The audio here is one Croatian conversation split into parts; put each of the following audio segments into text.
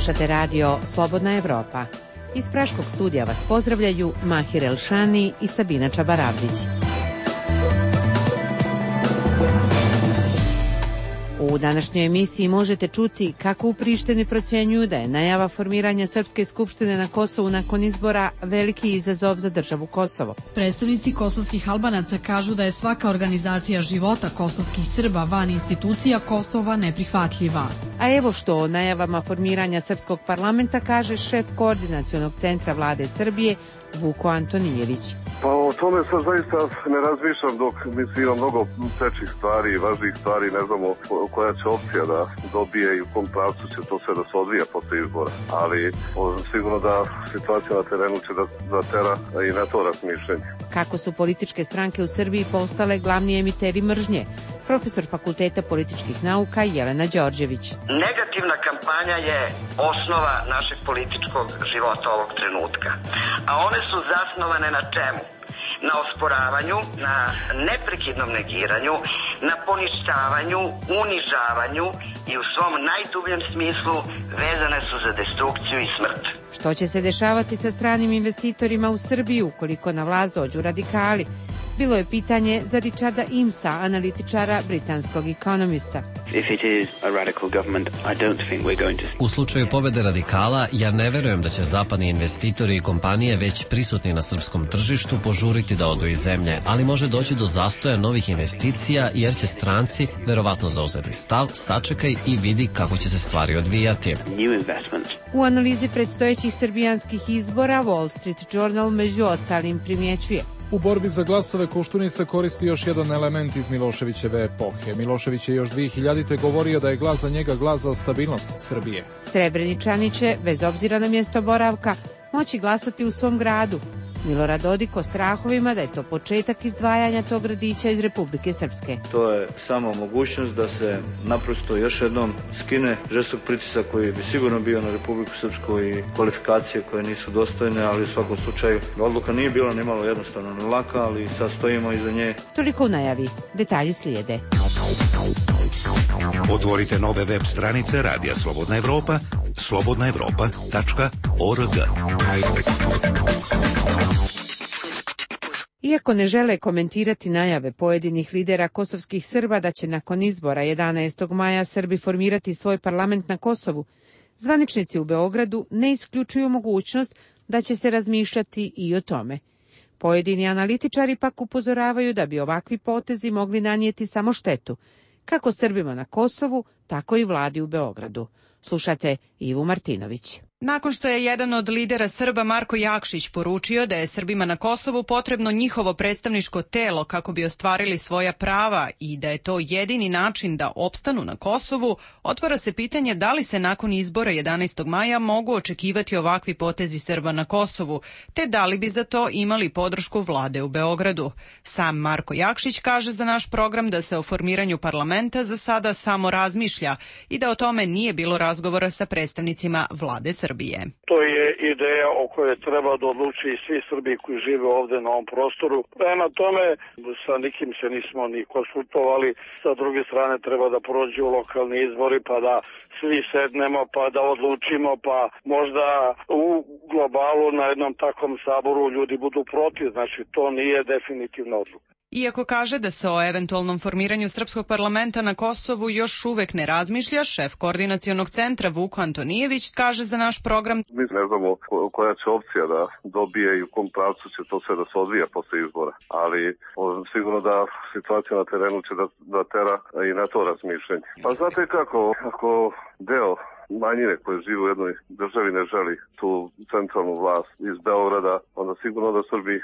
Slušate radio Slobodna Evropa. Iz Praškog studija vas pozdravljaju Mahir Elšani i Sabina Čabaravdić. U današnjoj emisiji možete čuti kako u Prištini procjenjuju da je najava formiranja Srpske skupštine na Kosovu nakon izbora veliki izazov za državu Kosovo. Predstavnici kosovskih Albanaca kažu da je svaka organizacija života kosovskih Srba van institucija Kosova neprihvatljiva. A evo što o najavama formiranja Srpskog parlamenta kaže šef koordinacionog centra vlade Srbije Vuko Antonijević. Pa o tome sad zaista ne razmišljam dok ima mnogo većih stvari i važnijih stvari, ne znamo koja će opcija da dobije i u kom pravcu će to sve da se odvija posle izbora. Ali sigurno da situacija na terenu će da tera i na to razmišljanje. Kako su političke stranke u Srbiji postale glavni emiteri mržnje? Profesor Fakulteta političkih nauka Jelena Đorđević. Negativna kampanja je osnova našeg političkog života ovog trenutka. A one su zasnovane na čemu? Na osporavanju, na neprekidnom negiranju, na poništavanju, unižavanju i u svom najdubljem smislu vezane su za destrukciju i smrt. Što će se dešavati sa stranim investitorima u Srbiji ukoliko na vlast dođu radikali? Bilo je pitanje za Richarda Imsa, analitičara britanskog ekonomista. U slučaju pobede radikala, ja ne verujem da će zapadni investitori i kompanije već prisutni na srpskom tržištu požuriti da odu iz zemlje, ali može doći do zastoja novih investicija jer će stranci verovatno zauzeti stav, sačekaj i vidi kako će se stvari odvijati. U analizi predstojećih srbijanskih izbora Wall Street Journal među ostalim primjećuje: u borbi za glasove Koštunica koristi još jedan element iz Miloševićeve epohe. Milošević je još 2000. govorio da je glas za njega glas za stabilnost Srbije. Srebreničani će, bez obzira na mjesto boravka, moći glasati u svom gradu. Milorad Dodik o strahovima da je to početak izdvajanja tog gradića iz Republike Srpske. To je samo mogućnost da se naprosto još jednom skine žestok pritisak koji bi sigurno bio na Republiku Srpsku i kvalifikacije koje nisu dostojne, ali u svakom slučaju odluka nije bila ni malo jednostavno ni laka, ali sad stojimo iza nje. Toliko u najavi. Detalji slijede. Otvorite nove web stranice Radija Slobodna Evropa, slobodnaevropa.org. Iako ne žele komentirati najave pojedinih lidera kosovskih Srba da će nakon izbora 11. maja Srbi formirati svoj parlament na Kosovu, zvaničnici u Beogradu ne isključuju mogućnost da će se razmišljati i o tome. Pojedini analitičari pak upozoravaju da bi ovakvi potezi mogli nanijeti samo štetu, kako Srbima na Kosovu, tako i vladi u Beogradu. Slušate Ivu Martinović. Nakon što je jedan od lidera Srba Marko Jakšić poručio da je Srbima na Kosovu potrebno njihovo predstavničko telo kako bi ostvarili svoja prava i da je to jedini način da opstanu na Kosovu, otvara se pitanje da li se nakon izbora 11. maja mogu očekivati ovakvi potezi Srba na Kosovu, te da li bi za to imali podršku vlade u Beogradu. Sam Marko Jakšić kaže za naš program da se o formiranju parlamenta za sada samo razmišlja i da o tome nije bilo razgovora sa predstavnicima vlade Srbije. To je ideja o kojoj treba da odluči i svi Srbi koji žive ovde na ovom prostoru. Prema tome, sa nikim se nismo ni konsultovali. Sa druge strane treba da prođu lokalni izbori pa da svi sednemo pa da odlučimo, pa možda u globalu na jednom takvom saboru ljudi budu protiv. Znači, to nije definitivna odluka. Iako kaže da se o eventualnom formiranju Srpskog parlamenta na Kosovu još uvek ne razmišlja, šef koordinacionog centra Vuko Antonijević kaže za naš program: mi ne znamo koja će opcija da dobije i u kom pravcu će to sve da se odvija posle izbora. Ali sigurno da situacija na terenu će da tera i na to razmišljanje. Pa znate kako, ako deo manjine koje žive u jednoj državi ne želi tu centralnu vlast iz Beograda, onda sigurno da Srbi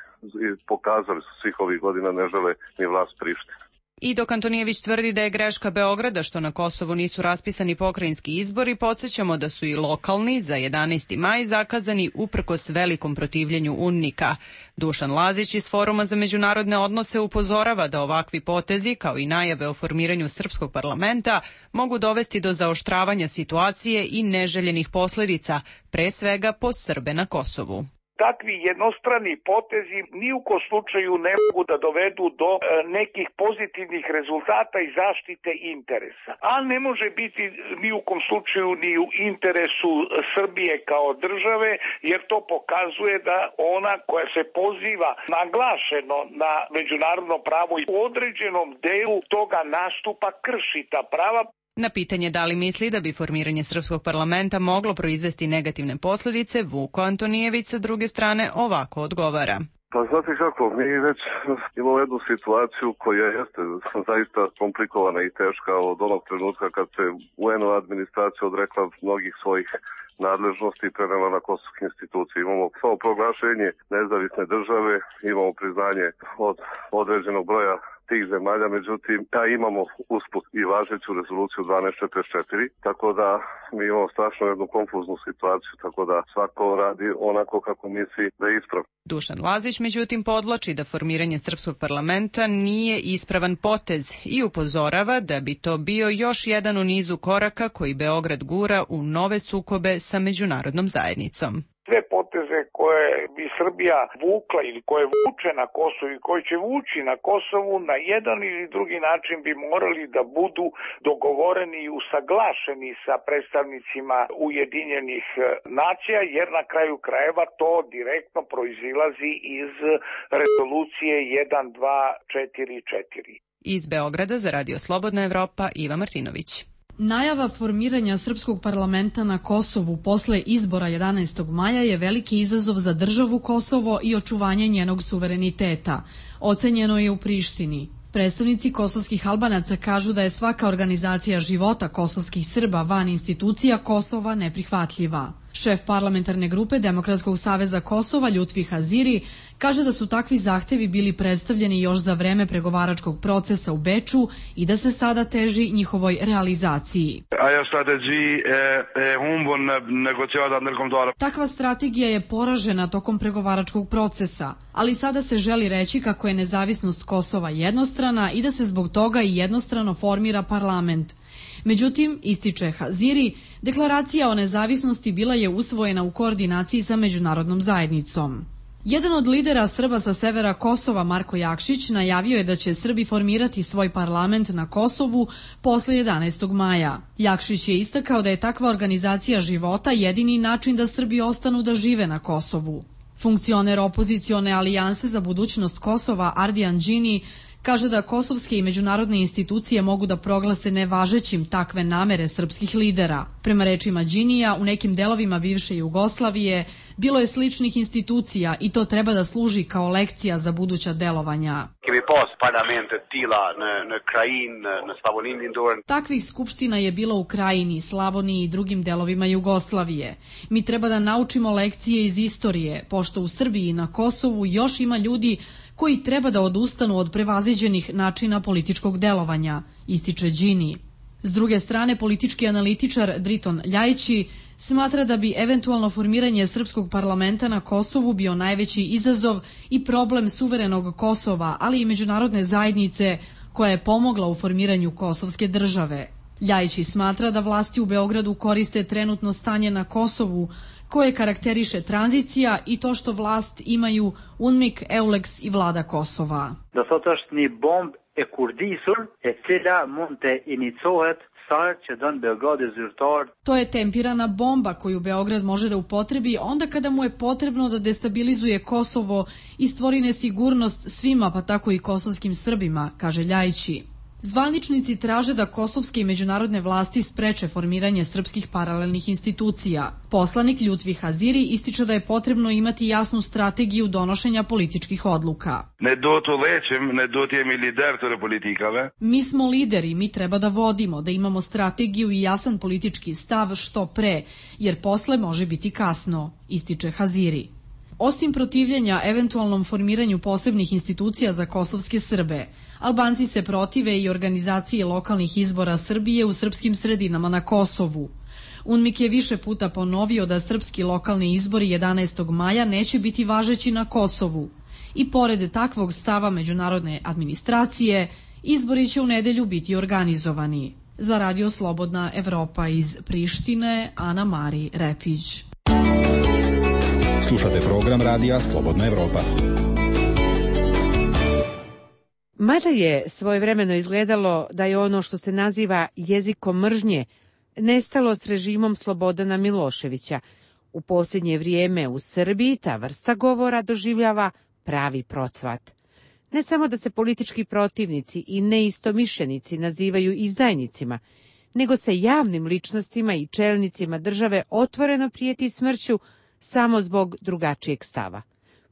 pokazali su svih ovih godina ne žele ni vlast Prištine. I dok Antonijević tvrdi da je greška Beograda što na Kosovu nisu raspisani pokrajinski izbori, podsjećamo da su i lokalni za 11. maj zakazani uprkos velikom protivljenju UNNIK-a. Dušan Lazić iz Foruma za međunarodne odnose upozorava da ovakvi potezi, kao i najave o formiranju Srpskog parlamenta, mogu dovesti do zaoštravanja situacije i neželjenih posledica, pre svega po Srbe na Kosovu. takvi jednostrani potezi ni u kom slučaju ne mogu da dovedu do nekih pozitivnih rezultata i zaštite interesa. A ne može biti ni u kom slučaju ni u interesu Srbije kao države, jer to pokazuje da ona koja se poziva naglašeno na međunarodno pravo i u određenom delu toga nastupa krši ta prava. Na pitanje da li misli da bi formiranje srpskog parlamenta moglo proizvesti negativne posljedice, Vuko Antonijević sa druge strane ovako odgovara. Pa znate kako, mi već imamo jednu situaciju koja jeste zaista komplikovana i teška od onog trenutka kad se UN administracija odrekla mnogih svojih nadležnosti i prenela na kosovske institucije. Imamo samo proglašenje nezavisne države, imamo priznanje od određenog broja tih zemalja, međutim, imamo usput i važeću rezoluciju 1244, tako da mi imamo strašno jednu konfuznu situaciju, tako da svako radi onako kako misli da je ispravno. Dušan Lazić, međutim, podvlači da formiranje srpskog parlamenta nije ispravan potez i upozorava da bi to bio još jedan u nizu koraka koji Beograd gura u nove sukobe sa međunarodnom zajednicom. Sve poteze koje bi Srbija vukla ili koje vuče na Kosovu i koje će vući na Kosovu na jedan ili drugi način bi morali da budu dogovoreni i usaglašeni sa predstavnicima Ujedinjenih nacija, jer na kraju krajeva to direktno proizilazi iz rezolucije 1244. Iz Beograda za Radio Slobodna Evropa, Iva Martinović. Najava formiranja srpskog parlamenta na Kosovu posle izbora 11. maja je veliki izazov za državu Kosovo i očuvanje njenog suvereniteta. Ocenjeno je u Prištini. Predstavnici kosovskih Albanaca kažu da je svaka organizacija života kosovskih Srba van institucija Kosova neprihvatljiva. Šef parlamentarne grupe Demokratskog saveza Kosova Ljutvi Haziri kaže da su takvi zahtevi bili predstavljeni još za vreme pregovaračkog procesa u Beču i da se sada teži njihovoj realizaciji. Takva strategija je poražena tokom pregovaračkog procesa, ali sada se želi reći kako je nezavisnost Kosova jednostrana i da se zbog toga i jednostrano formira parlament. Međutim, ističe Haziri, deklaracija o nezavisnosti bila je usvojena u koordinaciji sa međunarodnom zajednicom. Jedan od lidera Srba sa severa Kosova, Marko Jakšić, najavio je da će Srbi formirati svoj parlament na Kosovu posle 11. maja. Jakšić je istakao da je takva organizacija života jedini način da Srbi ostanu da žive na Kosovu. Funkcioner opozicione alijanse za budućnost Kosova, Ardijan Đini, kaže da kosovske i međunarodne institucije mogu da proglase nevažećim takve namere srpskih lidera. Prema rečima Đinija, u nekim delovima bivše Jugoslavije bilo je sličnih institucija i to treba da služi kao lekcija za buduća delovanja. Takvih skupština je bilo u Krajini, Slavoniji i drugim delovima Jugoslavije. Mi treba da naučimo lekcije iz istorije, pošto u Srbiji i na Kosovu još ima ljudi koji treba da odustanu od prevaziđenih načina političkog delovanja, ističe Đini. S druge strane, politički analitičar Driton Ljajići smatra da bi eventualno formiranje srpskog parlamenta na Kosovu bio najveći izazov i problem suverenog Kosova, ali i međunarodne zajednice koja je pomogla u formiranju kosovske države. Ljajići smatra da vlasti u Beogradu koriste trenutno stanje na Kosovu, koje karakteriše tranzicija i to što vlast imaju UNMIK, EULEX i vlada Kosova. Do thot është një bomb e kurdisur e cila mund të inicohet sa që don Beogradi zyrtar. To je tempirana bomba koju Beograd može da upotrebi onda kada mu je potrebno da destabilizuje Kosovo i stvori nesigurnost svima, pa tako i kosovskim Srbima, kaže Ljajići. Zvaničnici traže da kosovske i međunarodne vlasti spreče formiranje srpskih paralelnih institucija. Poslanik Ljutvi Haziri ističe da je potrebno imati jasnu strategiju donošenja političkih odluka. Mi smo lideri, mi treba da vodimo, da imamo strategiju i jasan politički stav što pre, jer posle može biti kasno, ističe Haziri. Osim protivljenja eventualnom formiranju posebnih institucija za kosovske Srbe, Albanci se protive i organizaciji lokalnih izbora Srbije u srpskim sredinama na Kosovu. UNMIK je više puta ponovio da srpski lokalni izbori 11. maja neće biti važeći na Kosovu. I pored takvog stava međunarodne administracije, izbori će u nedelju biti organizovani. Za Radio Slobodna Evropa iz Prištine, Ana Mari Repić. Slušate program radija Slobodna Evropa. Mada je svojevremeno izgledalo da je ono što se naziva jezikom mržnje nestalo s režimom Slobodana Miloševića, u posljednje vrijeme u Srbiji ta vrsta govora doživljava pravi procvat. Ne samo da se politički protivnici i neistomišljenici nazivaju izdajnicima, nego se javnim ličnostima i čelnicima države otvoreno prijeti smrću samo zbog drugačijeg stava.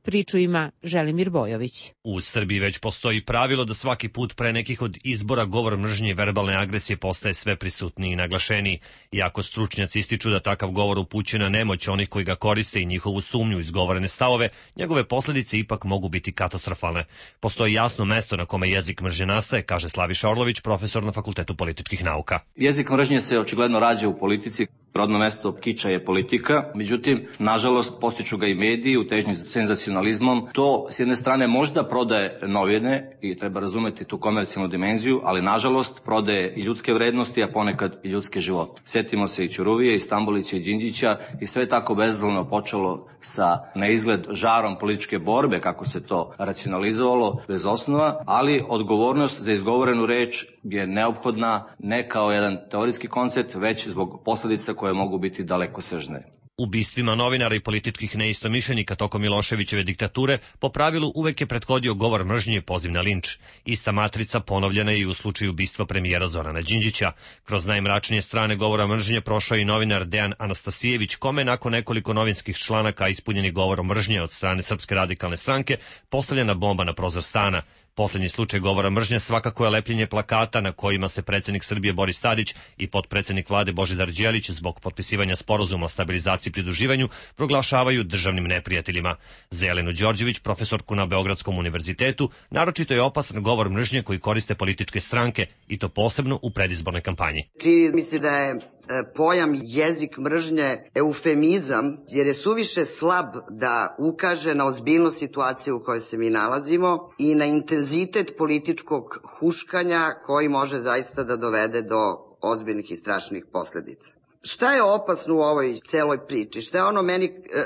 Priču ima Želimir Bojović. U Srbiji već postoji pravilo da svaki put pre nekih od izbora govor mržnje i verbalne agresije postaje sve prisutniji i naglašeniji. Iako stručnjaci ističu da takav govor upućuje na nemoć onih koji ga koriste i njihovu sumnju izgovorene stavove, njegove posljedice ipak mogu biti katastrofalne. Postoji jasno mesto na kome jezik mržnje nastaje, kaže Slaviša Orlović, profesor na Fakultetu političkih nauka. Jezik mržnje se očigledno rađa u politici. Rodno mesto kiča je politika, međutim, nažalost, postiču ga i mediji u težnji za senzacionalizmom. To, s jedne strane, možda prodaje novine i treba razumeti tu komercijalnu dimenziju, ali, nažalost, prodaje i ljudske vrednosti, a ponekad i ljudske živote. Sjetimo se i Ćuruvije, i Stambolića, i Đinđića, i sve je tako bezazleno počelo sa na izgled žarom političke borbe, kako se to racionalizovalo, bez osnova, ali odgovornost za izgovorenu reč je neophodna ne kao jedan teorijski koncept, već zbog posljedica koje mogu biti dalekosežne. Ubistvima novinara i političkih neistomišljenika tokom Miloševićeve diktature po pravilu uvek je prethodio govor mržnje i poziv na linč. Ista matrica ponovljena je i u slučaju ubistva premijera Zorana Đinđića. Kroz najmračnije strane govora mržnje prošao i novinar Dejan Anastasijević, kome nakon nekoliko novinskih članaka ispunjenih govorom mržnje od strane Srpske radikalne stranke postavljena bomba na prozor stana. Poslednji slučaj govora mržnje svakako je lepljenje plakata na kojima se predsjednik Srbije Boris Tadić i potpredsjednik vlade Božidar Đelić zbog potpisivanja sporazuma o stabilizaciji i pridruživanju proglašavaju državnim neprijateljima. Za Jelenu Đorđević, profesorku na Beogradskom univerzitetu, naročito je opasan govor mržnje koji koriste političke stranke i to posebno u predizbornoj kampanji. Čini mi se da je pojam jezik mržnje eufemizam, jer je suviše slab da ukaže na ozbiljnost situacije u kojoj se mi nalazimo i na intenzitet političkog huškanja koji može zaista da dovede do ozbiljnih i strašnih posljedica. Šta je opasno u ovoj celoj priči? Šta je ono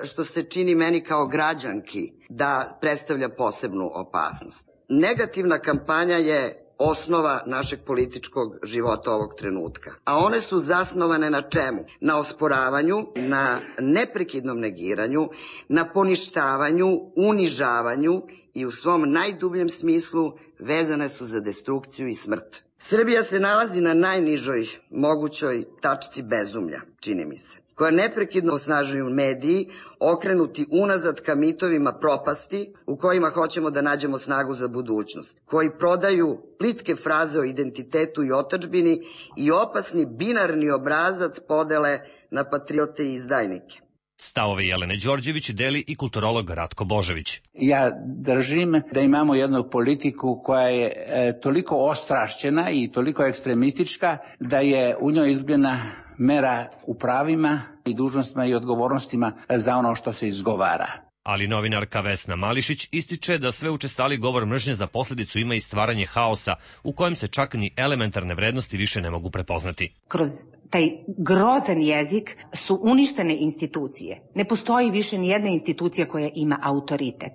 što se čini meni kao građanki da predstavlja posebnu opasnost? Negativna kampanja je osnova našeg političkog života ovog trenutka. A one su zasnovane na čemu? Na osporavanju, na neprekidnom negiranju, na poništavanju, unižavanju i u svom najdubljem smislu vezane su za destrukciju i smrt. Srbija se nalazi na najnižoj mogućoj tačci bezumlja, čini mi se, koja neprekidno osnažuju mediji, okrenuti unazad ka mitovima propasti u kojima hoćemo da nađemo snagu za budućnost, koji prodaju plitke fraze o identitetu i otadžbini i opasni binarni obrazac podele na patriote i izdajnike. Stavove Jelene Đorđević deli i kulturolog Ratko Božović. Ja držim da imamo jednu politiku koja je toliko ostrašćena i toliko ekstremistička da je u njoj izgubljena mera u pravima i dužnostima i odgovornostima za ono što se izgovara. Ali novinarka Vesna Mališić ističe da sve učestali govor mržnje za posljedicu ima i stvaranje haosa u kojem se čak ni elementarne vrednosti više ne mogu prepoznati. Kroz taj grozan jezik su uništene institucije. Ne postoji više ni jedna institucija koja ima autoritet.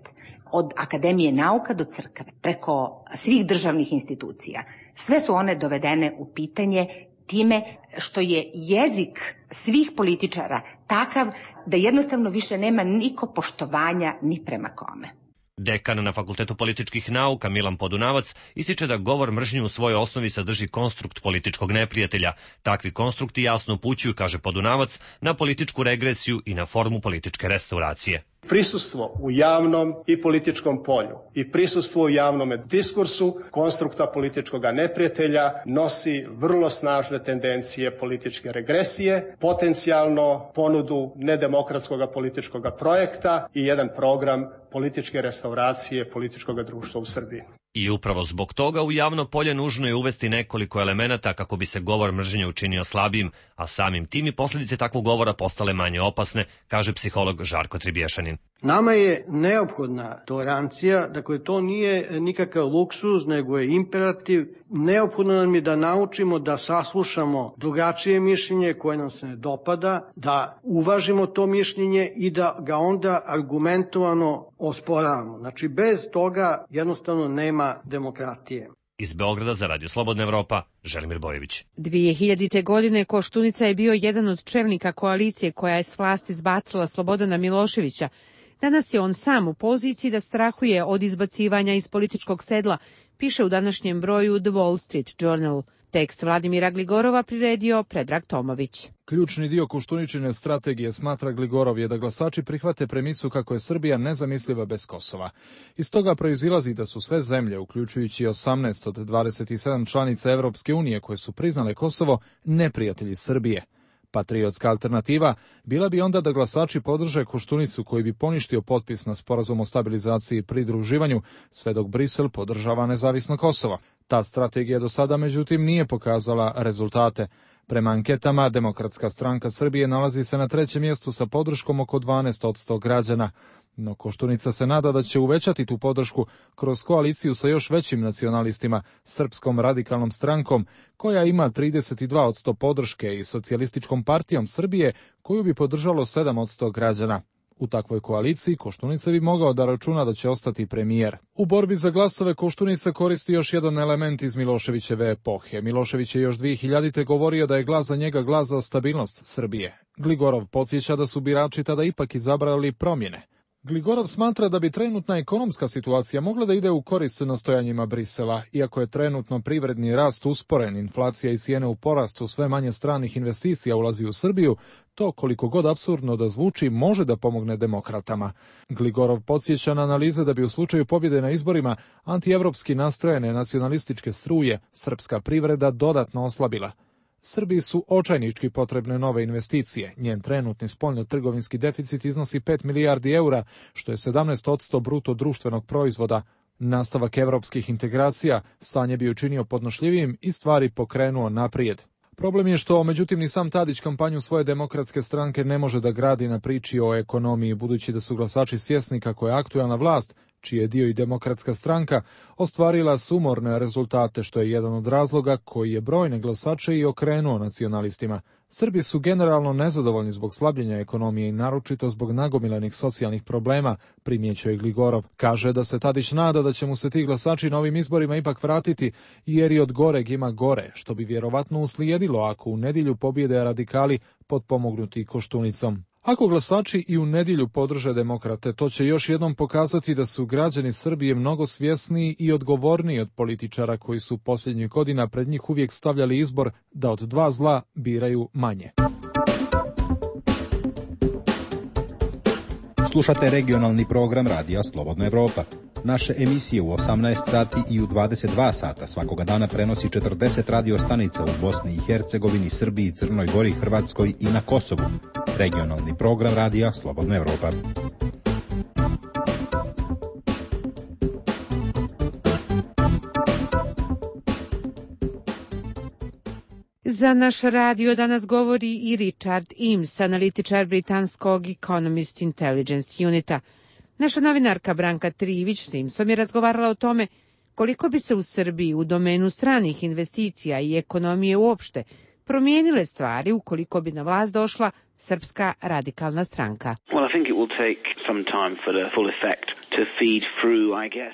Od Akademije nauka do crkve, preko svih državnih institucija. Sve su one dovedene u pitanje time što je jezik svih političara takav da jednostavno više nema niko poštovanja ni prema kome. Dekan na Fakultetu političkih nauka Milan Podunavac ističe da govor mržnje u svojoj osnovi sadrži konstrukt političkog neprijatelja. Takvi konstrukti jasno upućuju, kaže Podunavac, na političku regresiju i na formu političke restauracije. Prisustvo u javnom i političkom polju i prisustvo u javnom diskursu konstrukta političkog neprijatelja nosi vrlo snažne tendencije političke regresije, potencijalno ponudu nedemokratskog političkog projekta i jedan program političke restauracije političkog društva u Srbiji. I upravo zbog toga u javno polje nužno je uvesti nekoliko elemenata kako bi se govor mržnje učinio slabijim, a samim tim i posljedice takvog govora postale manje opasne, kaže psiholog Žarko Tribješanin. Nama je neophodna tolerancija, dakle to nije nikakav luksuz, nego je imperativ. Neophodno nam je da naučimo da saslušamo drugačije mišljenje koje nam se ne dopada, da uvažimo to mišljenje i da ga onda argumentovano osporavamo. Znači bez toga jednostavno nema demokratije. Iz Beograda za Radio Slobodna Evropa, Želimir Bojević. 2000. godine Koštunica je bio jedan od čelnika koalicije koja je s vlasti zbacila Slobodana Miloševića. Danas je on sam u poziciji da strahuje od izbacivanja iz političkog sedla, piše u današnjem broju The Wall Street Journal. Tekst Vladimira Gligorova priredio Predrag Tomović. Ključni dio Koštuničine strategije, smatra Gligorov, je da glasači prihvate premisu kako je Srbija nezamisliva bez Kosova. Iz toga proizilazi da su sve zemlje, uključujući 18 od 27 članica Evropske unije koje su priznale Kosovo, neprijatelji Srbije. Patriotska alternativa bila bi onda da glasači podrže Koštunicu koji bi poništio potpis na sporazum o stabilizaciji i pridruživanju, sve dok Brisel podržava nezavisno Kosovo. Ta strategija do sada, međutim, nije pokazala rezultate. Prema anketama, Demokratska stranka Srbije nalazi se na 3. mjestu sa podrškom oko 12% građana. No Koštunica se nada da će uvećati tu podršku kroz koaliciju sa još većim nacionalistima, Srpskom radikalnom strankom, koja ima 32% podrške, i Socijalističkom partijom Srbije, koju bi podržalo 7% građana. U takvoj koaliciji Koštunica bi mogao da računa da će ostati premijer. U borbi za glasove Koštunica koristi još jedan element iz Miloševićeve epohe. Milošević je još 2000. govorio da je glas za njega glas za stabilnost Srbije. Gligorov podsjeća da su birači tada ipak izabrali promjene. Gligorov smatra da bi trenutna ekonomska situacija mogla da ide u korist nastojanjima Brisela. Iako je trenutno privredni rast usporen, inflacija i cijene u porastu, sve manje stranih investicija ulazi u Srbiju, to, koliko god apsurdno da zvuči, može da pomogne demokratama. Gligorov podsjeća na analize da bi u slučaju pobjede na izborima antievropski nastrojene nacionalističke struje srpska privreda dodatno oslabila. Srbiji su očajnički potrebne nove investicije. Njen trenutni spoljno-trgovinski deficit iznosi 5 milijardi eura, što je 17% bruto društvenog proizvoda. Nastavak evropskih integracija stanje bi učinio podnošljivijim i stvari pokrenuo naprijed. Problem je što, međutim, ni sam Tadić kampanju svoje demokratske stranke ne može da gradi na priči o ekonomiji, budući da su glasači svjesni kako je aktuelna vlast, čiji je dio i Demokratska stranka, ostvarila sumorne rezultate, što je jedan od razloga koji je brojne glasače i okrenuo nacionalistima. Srbi su generalno nezadovoljni zbog slabljenja ekonomije i naročito zbog nagomilanih socijalnih problema, primjećuje Gligorov. Kaže da se Tadić nada da će mu se ti glasači na ovim izborima ipak vratiti, jer i od goreg ima gore, što bi vjerovatno uslijedilo ako u nedjelju pobjede radikali potpomognuti Koštunicom. Ako glasači i u nedjelju podrže demokrate, to će još jednom pokazati da su građani Srbije mnogo svjesniji i odgovorniji od političara koji su posljednjih godina pred njih uvijek stavljali izbor da od dva zla biraju manje. Slušate regionalni program Radija Slobodna Evropa. Naše emisije u 18 sati i u 22 sata svakoga dana prenosi 40 radio stanica u Bosni i Hercegovini, Srbiji, Crnoj Gori, Hrvatskoj i na Kosovu. Regionalni program Radija Slobodna Evropa. Za naš radio danas govori i Richard Eames, analitičar britanskog Economist Intelligence Unita. Naša novinarka Branka Trivić s Eamesom je razgovarala o tome koliko bi se u Srbiji u domenu stranih investicija i ekonomije uopšte promijenile stvari ukoliko bi na vlast došla Srpska radikalna stranka.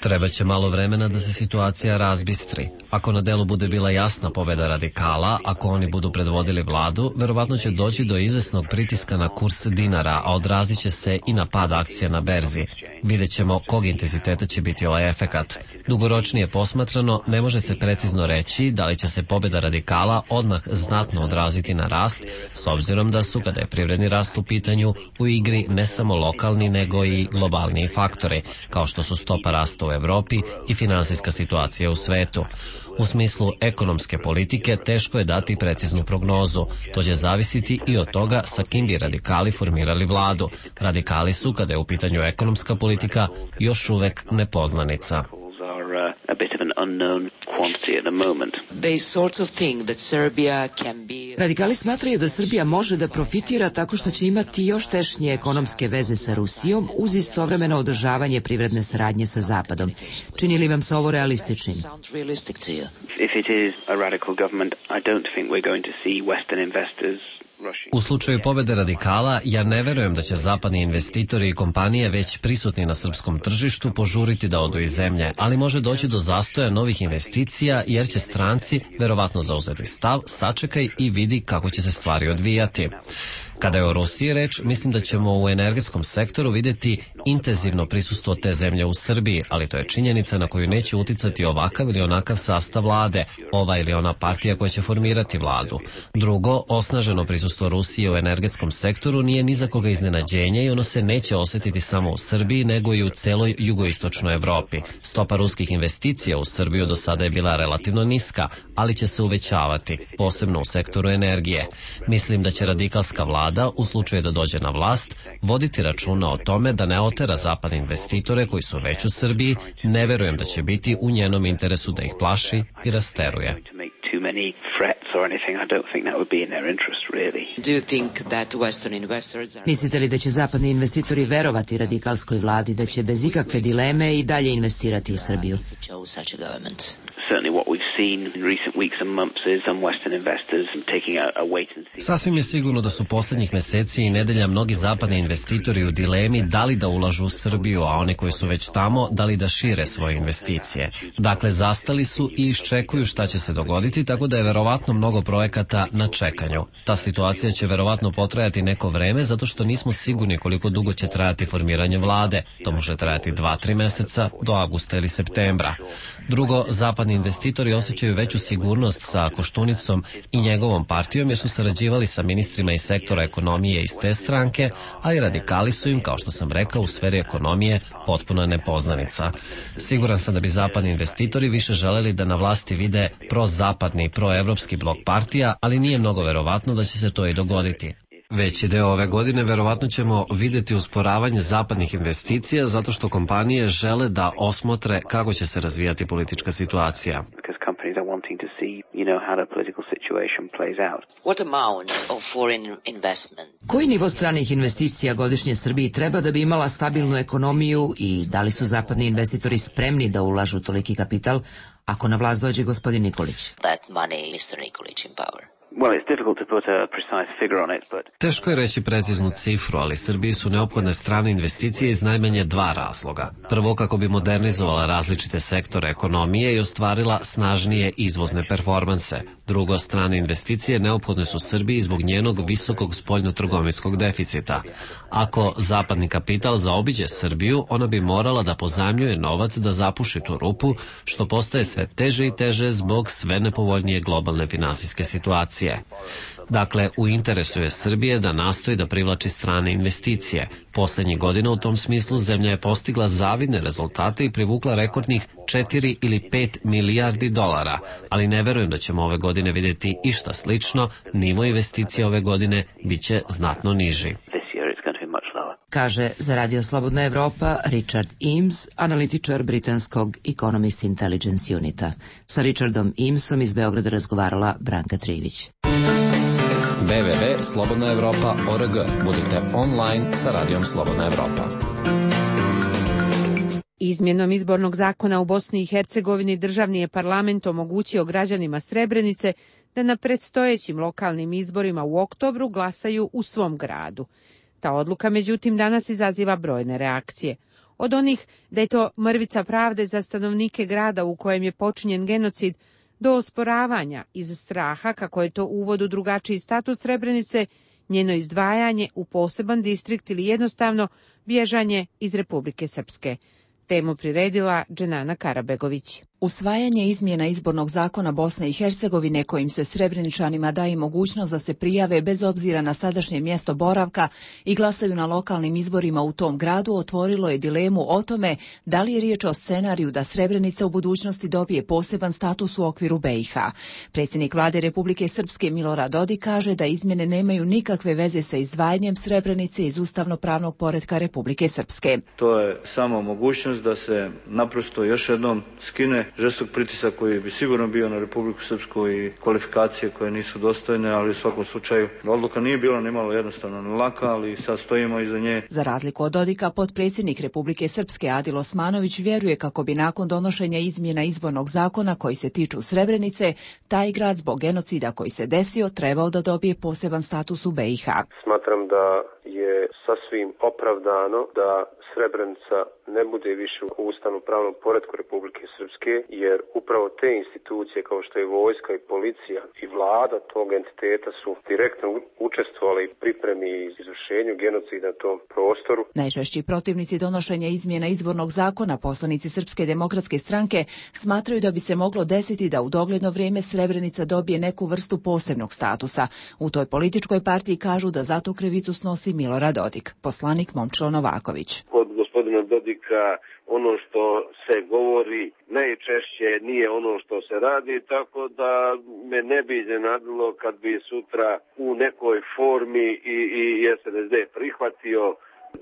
Trebaće malo vremena da se situacija razbistri. Ako na delu bude bila jasna pobjeda radikala, ako oni budu predvodili vladu, verovatno će doći do izvesnog pritiska na kurs dinara, a odrazit će se i na pad akcija na berzi. Vidjet ćemo kog intenziteta će biti ovaj efekat. Dugoročnije posmatrano, ne može se precizno reći da li će se pobjeda radikala odmah znatno odraziti na rast, s obzirom da su, kada je privredni rast u pitanju, u igri ne samo lokalni nego i globalni faktori, kao što su stopa rasta u Evropi i finansijska situacija u svetu. U smislu ekonomske politike teško je dati preciznu prognozu. To će zavisiti i od toga sa kim bi radikali formirali vladu. Radikali su, kada je u pitanju ekonomska politika, još uvek nepoznanica. Radikali smatraju da Srbija može da profitira tako što će imati još tešnje ekonomske veze sa Rusijom uz istovremeno održavanje privredne saradnje sa Zapadom. Čini li vam se ovo realističnim? U slučaju pobede radikala, ja ne verujem da će zapadni investitori i kompanije već prisutni na srpskom tržištu požuriti da odu iz zemlje, ali može doći do zastoja novih investicija jer će stranci verovatno zauzeti stav, sačekaj i vidi kako će se stvari odvijati. Kada je o Rusiji reč, mislim da ćemo u energetskom sektoru vidjeti intenzivno prisustvo te zemlje u Srbiji, ali to je činjenica na koju neće uticati ovakav ili onakav sastav vlade, ova ili ona partija koja će formirati vladu. Drugo, osnaženo prisustvo Rusije u energetskom sektoru nije ni za koga iznenađenje i ono se neće osjetiti samo u Srbiji, nego i u celoj jugoistočnoj Evropi. Stopa ruskih investicija u Srbiju do sada je bila relativno niska, ali će se uvećavati, posebno u sektoru energije. Mislim da će radikalska vlada, u slučaju da dođe na vlast, voditi računa o tome da ne otera zapadne investitore koji su već u Srbiji. Ne verujem da će biti u njenom interesu da ih plaši i rasteruje. Mislite li da će zapadni investitori verovati radikalskoj vladi da će bez ikakve dileme i dalje investirati u Srbiju? Sasvim je sigurno da su posljednjih meseci i nedelja mnogi zapadni investitori u dilemi da li da ulažu u Srbiju, a oni koji su već tamo da li da šire svoje investicije. Dakle, zastali su i iščekuju šta će se dogoditi, tako da je verovatno mnogo projekata na čekanju. Ta situacija će verovatno potrajati neko vreme zato što nismo sigurni koliko dugo će trajati formiranje vlade. To može trajati 2-3 meseca do avgusta ili septembra. Drugo, zapadni investitori osjećaju veću sigurnost sa Koštunicom i njegovom partijom jer su sarađivali sa ministrima iz sektora ekonomije iz te stranke, a i radikali su im, kao što sam rekao, u sferi ekonomije potpuno nepoznanica. Siguran sam da bi zapadni investitori više želeli da na vlasti vide prozapadni i proevropski blok partija, ali nije mnogo verovatno da će se to i dogoditi. Veći deo ove godine verovatno ćemo vidjeti usporavanje zapadnih investicija zato što kompanije žele da osmotre kako će se razvijati politička situacija. Koji nivo stranih investicija godišnje Srbiji treba da bi imala stabilnu ekonomiju i da li su zapadni investitori spremni da ulažu toliki kapital ako na vlast dođe gospodin Nikolić? Teško je reći preciznu cifru, ali Srbiji su neophodne strane investicije iz najmanje 2 razloga. Prvo, kako bi modernizovala različite sektore ekonomije i ostvarila snažnije izvozne performanse. Drugo, strane investicije neophodne su Srbiji zbog njenog visokog spoljnotrgovinskog deficita. Ako zapadni kapital zaobiđe Srbiju, ona bi morala da pozajmljuje novac da zapuši tu rupu, što postaje sve teže i teže zbog sve nepovoljnije globalne finansijske situacije. Dakle, u interesu je Srbije da nastoji da privlači strane investicije. Poslednjih godina u tom smislu zemlja je postigla zavidne rezultate i privukla rekordnih 4 ili 5 milijardi dolara, ali ne verujem da ćemo ove godine vidjeti išta slično, nivo investicija ove godine biće znatno niži. Kaže za Radio Slobodna Evropa Richard Eames, analitičar britanskog Economist Intelligence Unita. Sa Richardom Eamesom iz Beograda razgovarala Branka Trivić. www.slobodnaevropa.org. Budite online sa Radijom Slobodna Evropa. Izmjenom izbornog zakona u Bosni i Hercegovini državni je parlament omogućio građanima Srebrenice da na predstojećim lokalnim izborima u oktobru glasaju u svom gradu. Ta odluka, međutim, danas izaziva brojne reakcije. Od onih da je to mrvica pravde za stanovnike grada u kojem je počinjen genocid, do osporavanja iz straha kako je to uvod u drugačiji status Srebrenice, njeno izdvajanje u poseban distrikt ili jednostavno bježanje iz Republike Srpske. Temu priredila Dženana Karabegović. Usvajanje izmjena izbornog zakona Bosne i Hercegovine kojim se Srebreničanima daje mogućnost da se prijave bez obzira na sadašnje mjesto boravka i glasaju na lokalnim izborima u tom gradu otvorilo je dilemu o tome da li je riječ o scenariju da Srebrenica u budućnosti dobije poseban status u okviru BiH. Predsjednik vlade Republike Srpske Milorad Dodik kaže da izmjene nemaju nikakve veze sa izdvajanjem Srebrenice iz ustavno-pravnog poretka Republike Srpske. To je samo mogućnost mogućnost da se naprosto još jednom skine žestok pritisak koji bi sigurno bio na Republiku Srpsku i kvalifikacije koje nisu dostojne, ali u svakom slučaju odluka nije bila nimalo jednostavno ni laka, ali sad stojimo iza nje. Za razliku od Dodika, potpredsjednik Republike Srpske Adil Osmanović vjeruje kako bi nakon donošenja izmjena izbornog zakona koji se tiču Srebrenice, taj grad zbog genocida koji se desio trebao da dobije poseban status u BiH. Smatram da je sasvim opravdano da Srebrenica ne bude više u ustavno-pravnom poretku Republike Srpske, jer upravo te institucije kao što je vojska i policija i vlada tog entiteta su direktno učestvovali u pripremi i izvršenju genocida na tom prostoru. Najčešći protivnici donošenja izmjena izbornog zakona, poslanici Srpske demokratske stranke, smatraju da bi se moglo desiti da u dogledno vrijeme Srebrenica dobije neku vrstu posebnog statusa. U toj političkoj partiji kažu da zato krivicu snosi Milorad Dodik. Poslanik Momčilo Novaković. Kod gospodina Dodika ono što se govori najčešće nije ono što se radi, tako da me ne bi iznenadilo kad bi sutra u nekoj formi i SNSD prihvatio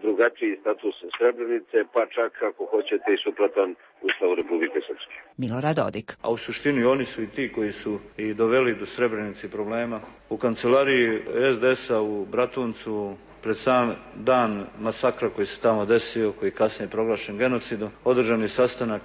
drugačiji status Srebrenice, pa čak ako hoćete i suprotan Ustavu Republike Srpske. Milorad Dodik. A u suštini oni su i ti koji su i doveli do Srebrenice problema. U kancelariji SDS-a u Bratuncu pred sam dan masakra koji se tamo desio, koji kasnije je proglašen genocidom, održan je sastanak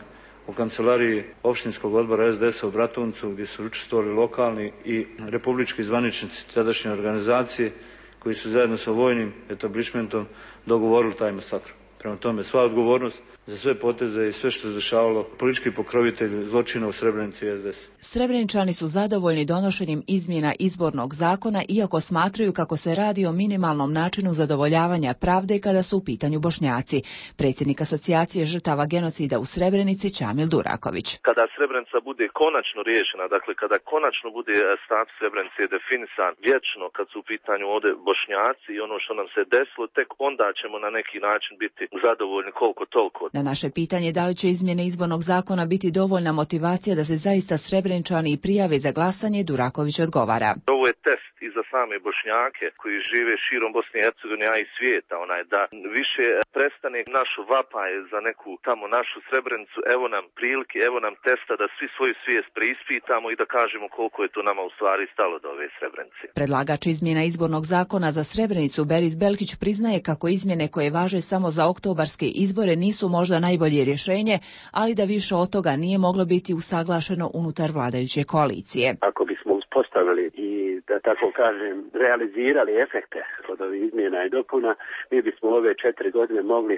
u kancelariji opštinskog odbora SDS-a u Bratuncu gdje su učestvovali lokalni i republički zvaničnici tadašnje organizacije koji su zajedno sa vojnim etablišmentom dogovorili taj masakr. Prema tome, sva odgovornost za sve poteze i sve što je dešavalo politički pokrovitelj zločina u Srebrenici i SDS. Srebreničani su zadovoljni donošenjem izmjena izbornog zakona, iako smatraju kako se radi o minimalnom načinu zadovoljavanja pravde kada su u pitanju Bošnjaci. Predsjednik asocijacije žrtava genocida u Srebrenici Čamil Duraković. Kada Srebrenica bude konačno riješena, dakle kada konačno bude status Srebrenice definisan vječno kad su u pitanju ovdje Bošnjaci i ono što nam se desilo, tek onda ćemo na neki način biti zadovoljni koliko toliko. Na naše pitanje da li će izmjene izbornog zakona biti dovoljna motivacija da se zaista Srebreničani i prijave za glasanje, Duraković odgovara. Ovo je test i za same Bošnjake koji žive širom Bosne i Hercegovine, a i svijeta, da više prestane našu vapaj za neku tamo našu Srebrenicu, evo nam prilike, evo nam testa da svi svoju svijest preispitamo i da kažemo koliko je to nama u stvari stalo do ove Srebrenice. Predlagač izmjena izbornog zakona za Srebrenicu Beris Belkić priznaje kako izmjene koje važe samo za oktobarske izbore nisu možda najbolje rješenje, ali da više od toga nije moglo biti usaglašeno unutar vladajuće koalicije. Ako bismo uspostavili i, da tako kažem, realizirali efekte od ovih izmjena i dopuna, mi bismo ove 4 godine mogli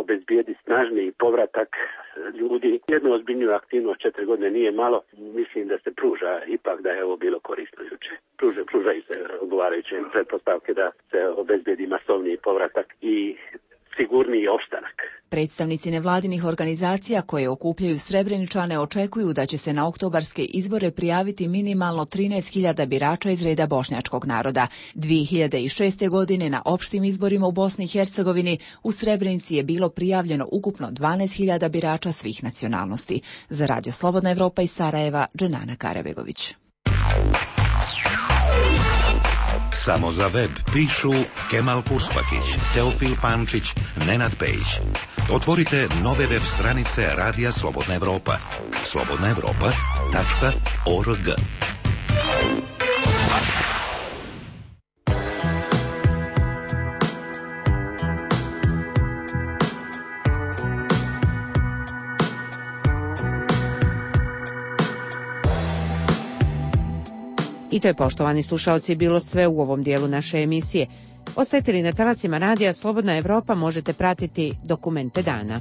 obezbijediti snažniji povratak ljudi. Jednu ozbiljniju aktivnost 4 godine nije malo, mislim da se pruža ipak da je ovo bilo korisno juče. Pružaju se odgovarajuće pretpostavke da se obezbijedi masovniji povratak i sigurniji opstanak. Predstavnici nevladinih organizacija koje okupljaju Srebreničane očekuju da će se na oktobarske izbore prijaviti minimalno 13.000 birača iz reda bošnjačkog naroda. 2006. godine na opštim izborima u Bosni i Hercegovini u Srebrenici je bilo prijavljeno ukupno 12.000 birača svih nacionalnosti. Za Radio Slobodna Evropa iz Sarajeva, Dženana Karabegović. Samo za web pišu Kemal Kuspakić, Teofil Pančić, Nenad Pejić. Otvorite nove web stranice Radija Slobodna Evropa. slobodnaevropa.org. I to je, poštovani slušalci, bilo sve u ovom dijelu naše emisije. Ostajete li na talasima Radija Slobodna Evropa, možete pratiti Dokumente dana.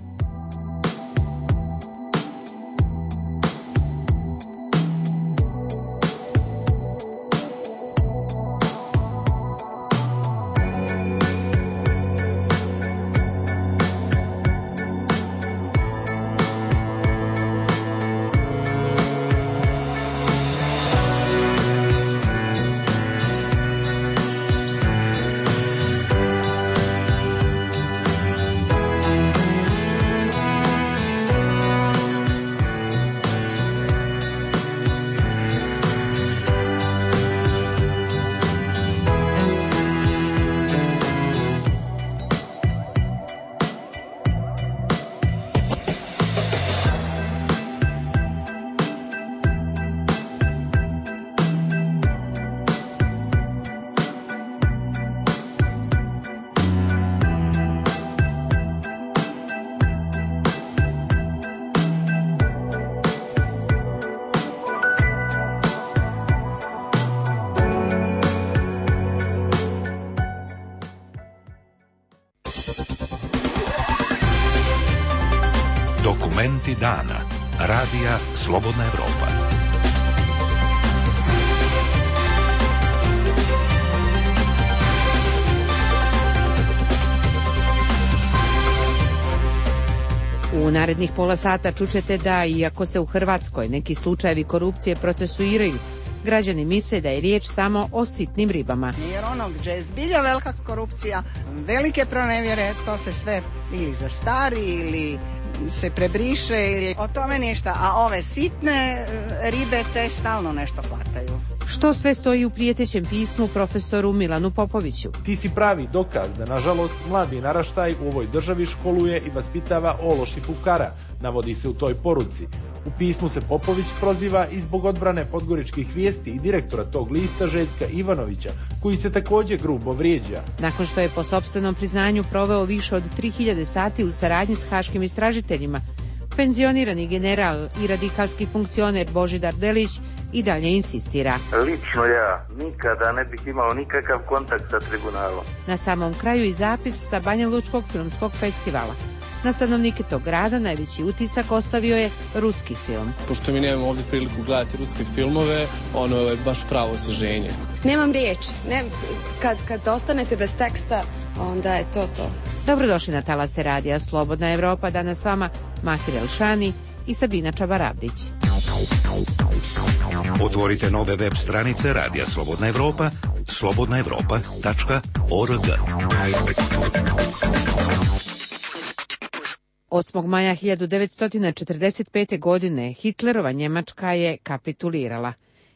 Momenti dana. Radija Slobodna Evropa. U narednih pola sata čućete da, iako se u Hrvatskoj neki slučajevi korupcije procesuiraju, građani misle da je riječ samo o sitnim ribama. Jer ono gdje je zbilja velika korupcija, velike pronevjere, to se sve ili zastari ili se prebriše ili o tome ništa, a ove sitne ribe te stalno nešto hvataju. Što sve stoji u prijetećem pismu profesoru Milanu Popoviću? Ti si pravi dokaz da, nažalost, mladi naraštaj u ovoj državi školuje i vaspitava ološ i fukara, navodi se u toj poruci. U pismu se Popović proziva i zbog odbrane podgoričkih vijesti i direktora tog lista Željka Ivanovića, koji se također grubo vrijeđa. Nakon što je po sopstvenom priznanju proveo više od 3000 sati u saradnji s haškim istražiteljima, penzionirani general i radikalski funkcioner Božidar Delić i dalje insistira. Lično ja nikada ne bih imao nikakav kontakt sa tribunalom. Na samom kraju i zapis sa Banjalučkog filmskog festivala. Na stanovnike tog grada najveći utisak ostavio je ruski film. Pošto mi nemamo ovdje priliku gledati ruske filmove, ono je baš pravo osvježenje. Nemam riječi. Kad ostanete bez teksta, onda je to. Dobrodošli na talase radija Slobodna Evropa. Danas s vama Mahir Elšani i Sabina Čabarabdić. Otvorite nove web stranice Radija Slobodna Evropa, slobodnaevropa.org. 8. maja 1945. godine Hitlerova Njemačka je kapitulirala.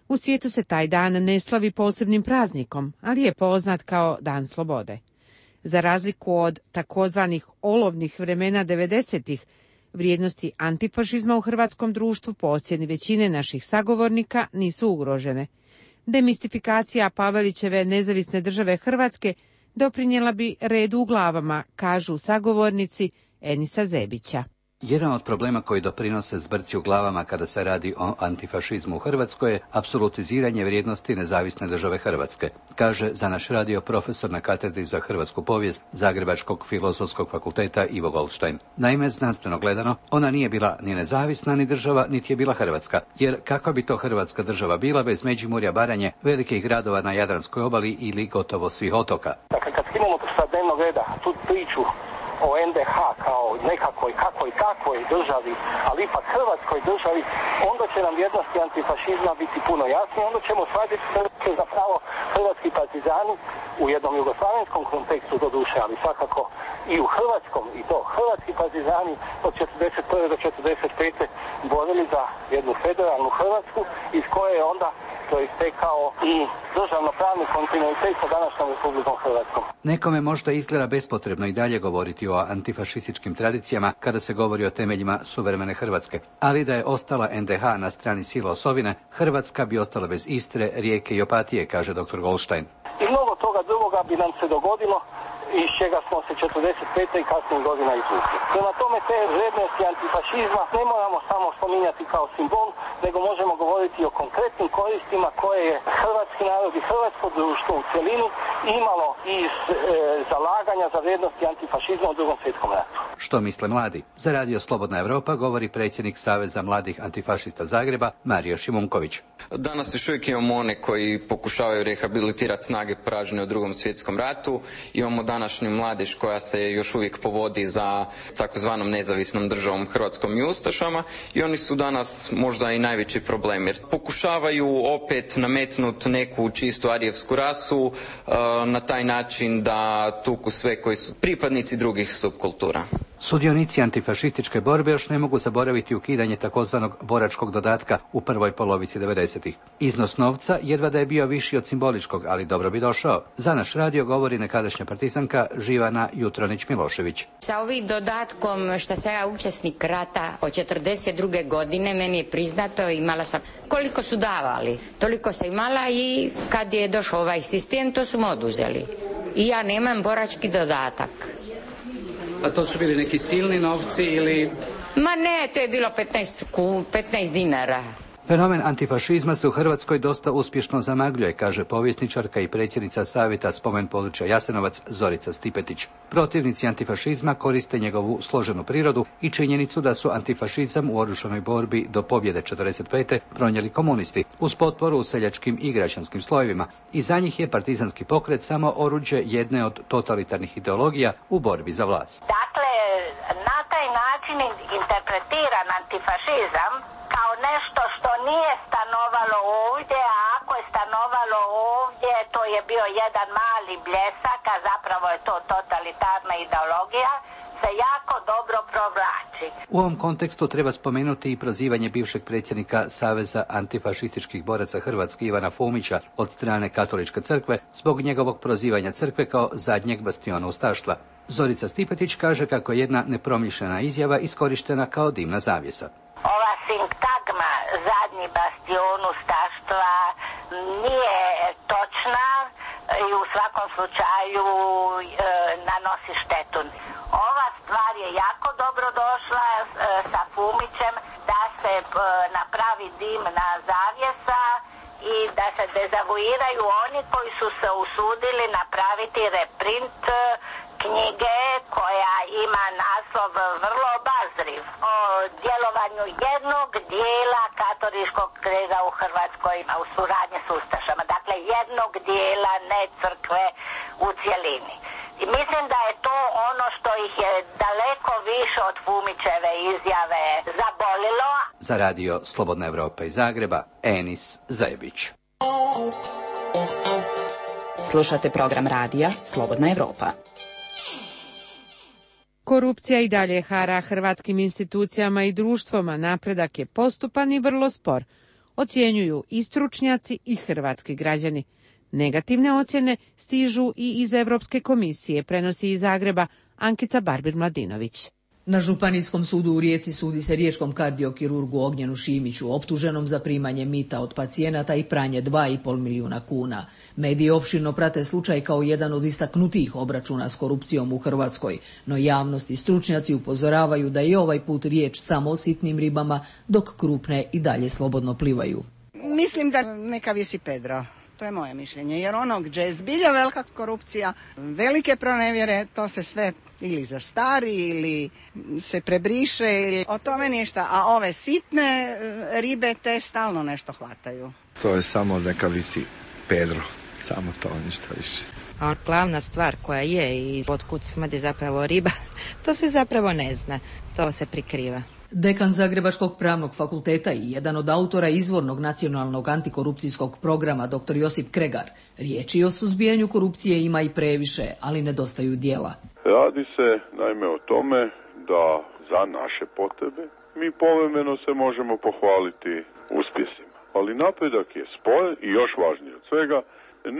U svijetu se taj dan ne slavi posebnim praznikom, ali je poznat kao Dan slobode. Za razliku od takozvanih olovnih vremena 90-ih, vrijednosti antifašizma u hrvatskom društvu po ocjeni većine naših sagovornika nisu ugrožene. Demistifikacija Pavelićeve nezavisne države Hrvatske doprinijela bi redu u glavama, kažu sagovornici Enisa Zebića. Jedan od problema koji doprinose zbrci u glavama kada se radi o antifašizmu u Hrvatskoj je apsolutiziranje vrijednosti nezavisne države Hrvatske, kaže za naš radio profesor na katedri za hrvatsku povijest Zagrebačkog filozofskog fakulteta Ivo Goldstein. Naime, znanstveno gledano, ona nije bila ni nezavisna ni država, niti je bila Hrvatska, jer kakva bi to Hrvatska država bila bez Međimurja, Baranje, velikih gradova na Jadranskoj obali ili gotovo svih otoka. Dakle, kad skinemo sa dnevnog reda tu priču o NDH kao nekakvoj kakvoj državi, ali ipak Hrvatskoj državi, onda će nam vrijednosti antifašizma biti puno jasnije, onda ćemo shvatiti da su zapravo hrvatski partizani u jednom jugoslavenskom kontekstu doduše, ali svakako i u hrvatskom, i to hrvatski partizani od 41. do 45. borili za jednu federalnu Hrvatsku iz koje je onda proistekao i državno-pravni kontinuitet sa današnjom Republikom Hrvatskom. Nekome možda izgleda bespotrebno i dalje govoriti o antifašističkim tradicijama kada se govori o temeljima suvremene Hrvatske, ali da je ostala NDH na strani sila osovine, Hrvatska bi ostala bez Istre, Rijeke i Opatije, kaže dr. Goldstein. I mnogo toga drugoga bi nam se dogodilo iz čega smo se 45. i kasnijih godina izvukli. Prema tome te vrijednosti antifašizma ne moramo samo spominjati kao simbol, nego možemo govoriti o konkretnim koristima koje je hrvatski narod i hrvatsko društvo u cjelini imalo iz zalaganja za vrijednosti antifašizma u Drugom svjetskom ratu. Što misle mladi? Za radio Slobodna Evropa govori predsjednik Saveza mladih antifašista Zagreba, Mario Šimunković. Danas još uvijek imamo one koji pokušavaju rehabilitirati snage poražene u Drugom svjetskom ratu. Imamo današnju mladež koja se još uvijek povodi za takozvanom nezavisnom državom Hrvatskom i ustašama i oni su danas možda i najveći problem jer pokušavaju opet nametnuti neku čistu arijevsku rasu na taj način da tuku sve koji su pripadnici drugih subkultura. Sudionici antifašističke borbe još ne mogu zaboraviti ukidanje takozvanog boračkog dodatka u prvoj polovici 90-ih. Iznos novca jedva da je bio viši od simboličkog, ali dobro bi došao. Za naš radio govori nekadašnja partizanka Živana Jutronić-Milošević. Sa ovim dodatkom što sam ja učesnik rata od 42. godine, meni je priznato, imala sam koliko su davali, toliko sam imala i kad je došao ovaj sistem, to su mu oduzeli. I ja nemam borački dodatak. A to su bili neki silni novci ili... Ma ne, to je bilo 15 dinara. Fenomen antifašizma se u Hrvatskoj dosta uspješno zamagljuje, kaže povjesničarka i predsjednica Savjeta spomen područja Jasenovac Zorica Stipetić. Protivnici antifašizma koriste njegovu složenu prirodu i činjenicu da su antifašizam u oružanoj borbi do pobjede 45. pronijeli komunisti uz potporu u seljačkim i građanskim slojevima i za njih je partizanski pokret samo oruđe jedne od totalitarnih ideologija u borbi za vlast. Dakle, na taj način interpretiran antifašizam kao nešto što nije stanovalo ovdje, a ako je stanovalo ovdje, to je bio jedan mali bljesak, a zapravo je to totalitarna ideologija, se jako dobro provlači. U ovom kontekstu treba spomenuti i prozivanje bivšeg predsjednika Saveza antifašističkih boraca Hrvatske Ivana Fumića od strane Katoličke crkve zbog njegovog prozivanja crkve kao zadnjeg bastiona ustaštva. Zorica Stipetić kaže kako je jedna nepromišljena izjava iskorištena kao dimna zavjesa. Ova sintagma zadnji bastion ustaštva nije točna i u svakom slučaju nanosi štetu. Ova stvar je jako dobro došla sa Fumićem da se napravi dimna zavjesa i da se dezavuiraju oni koji su se usudili napraviti reprint knjige koja ima naslov vrlo obazriv o djelovanju jednog dijela katoličkog krega u Hrvatskoj u suradnji s ustašama. Dakle, jednog dijela, ne crkve u cjelini. I mislim da je to ono što ih je daleko više od Fumićeve izjave zabolilo. Za radio Slobodna Evropa iz Zagreba, Enis Zajebić. Slušate program radija Slobodna Evropa. Korupcija i dalje hara hrvatskim institucijama i društvoma, napredak je postupan i vrlo spor, ocjenjuju i stručnjaci i hrvatski građani. Negativne ocjene stižu i iz Europske komisije, prenosi iz Zagreba Ankica Barbir-Mladinović. Na Županijskom sudu u Rijeci sudi se riječkom kardiokirurgu Ognjenu Šimiću, optuženom za primanje mita od pacijenata i pranje 2,5 milijuna kuna. Mediji opširno prate slučaj kao jedan od istaknutijih obračuna s korupcijom u Hrvatskoj, no javnost i stručnjaci upozoravaju da je ovaj put riječ samo o sitnim ribama, dok krupne i dalje slobodno plivaju. Mislim da neka visi Pedro. To je moje mišljenje, jer ono gdje je zbilja velika korupcija, velike pronevjere, to se sve ili zastari ili se prebriše, ili o tome ništa. A ove sitne ribe te stalno nešto hvataju. To je samo neka visi Pedro, samo to, ništa više. A glavna stvar koja je i otkud smrdi zapravo riba, to se zapravo ne zna, to se prikriva. Dekan Zagrebačkog pravnog fakulteta i jedan od autora izvornog nacionalnog antikorupcijskog programa dr. Josip Kregar, riječi o suzbijanju korupcije ima i previše, ali nedostaju djela. Radi se naime o tome da za naše potrebe mi povremeno se možemo pohvaliti uspjesima, ali napredak je spor i još važnije od svega,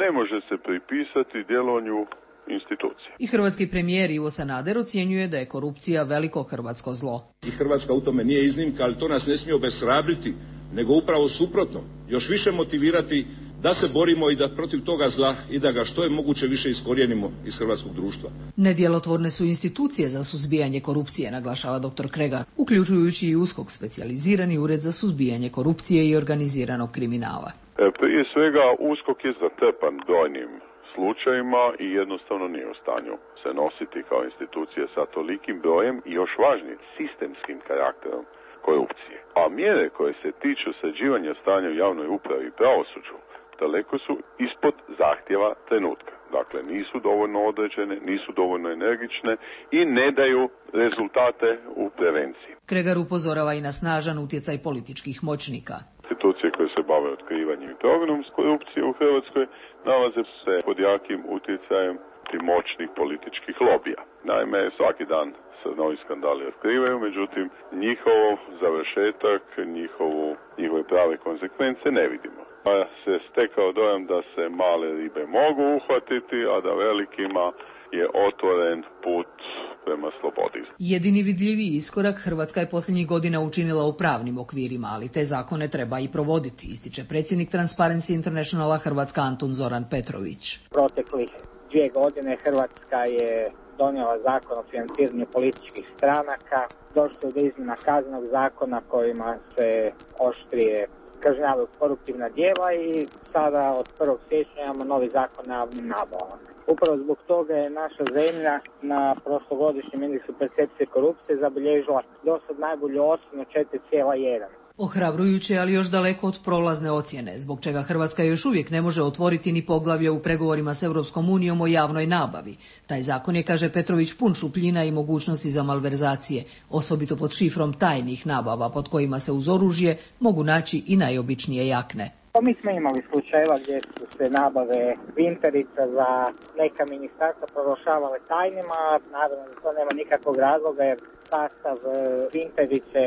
ne može se pripisati djelovanju institucija. I hrvatski premijer Ivo Sanader ocjenjuje da je korupcija veliko hrvatsko zlo. I Hrvatska u tome nije iznimka, ali to nas ne smije obeshrabriti, nego upravo suprotno, još više motivirati da se borimo i da protiv toga zla i da ga što je moguće više iskorijenimo iz hrvatskog društva. Nedjelotvorne su institucije za suzbijanje korupcije, naglašava dr. Kregar, uključujući i USKOK, specijalizirani ured za suzbijanje korupcije i organiziranog kriminala. Prije svega USKOK je zatrpan brojnim slučajima i jednostavno nije u stanju se nositi kao institucija sa tolikim brojem i još važnije sistemskim karakterom korupcije. A mjere koje se tiču sređivanja stanja u javnoj upravi i pravosuđu daleko su ispod zahtjeva trenutka. Dakle, nisu dovoljno određene, nisu dovoljno energične i ne daju rezultate u prevenciji. Kregar upozorava i na snažan utjecaj političkih moćnika. Institucije koje se bave otkrivanjem i prognonom korupcije u Hrvatskoj nalaze se pod jakim utjecajem moćnih političkih lobija. Naime, svaki dan se novi skandali otkrivaju, međutim, njihov završetak, njihove prave konsekvence ne vidimo. Pa se stekao dojam da se male ribe mogu uhvatiti, a da velikima je otvoren put prema slobodi. Jedini vidljiviji iskorak Hrvatska je posljednjih godina učinila u pravnim okvirima, ali te zakone treba i provoditi, ističe predsjednik Transparency Internationala Hrvatska Antun Zoran Petrović. Proteklih 2 godine Hrvatska je donijela zakon o financiranju političkih stranaka, došlo do izmjena kaznenog zakona kojima se oštrije kažnjavaju koruptivna djela i sada od 1. siječnja imamo novi zakon na javnim nabavama. Upravo zbog toga je naša zemlja na prošlogodišnjem indeksu percepcije korupcije zabilježila dosad najbolju ocjenu 4,1. Ohrabrujuće, ali još daleko od prolazne ocjene, zbog čega Hrvatska još uvijek ne može otvoriti ni poglavlje u pregovorima s Europskom unijom o javnoj nabavi. Taj zakon je, kaže Petrović, pun šupljina i mogućnosti za malverzacije, osobito pod šifrom tajnih nabava, pod kojima se uz oružje mogu naći i najobičnije jakne. Mi smo imali slučajeva gdje su se nabave Vinterica za neka ministarstva proglašavale tajnima, naravno da to nema nikakvog razloga jer sastav Vinterice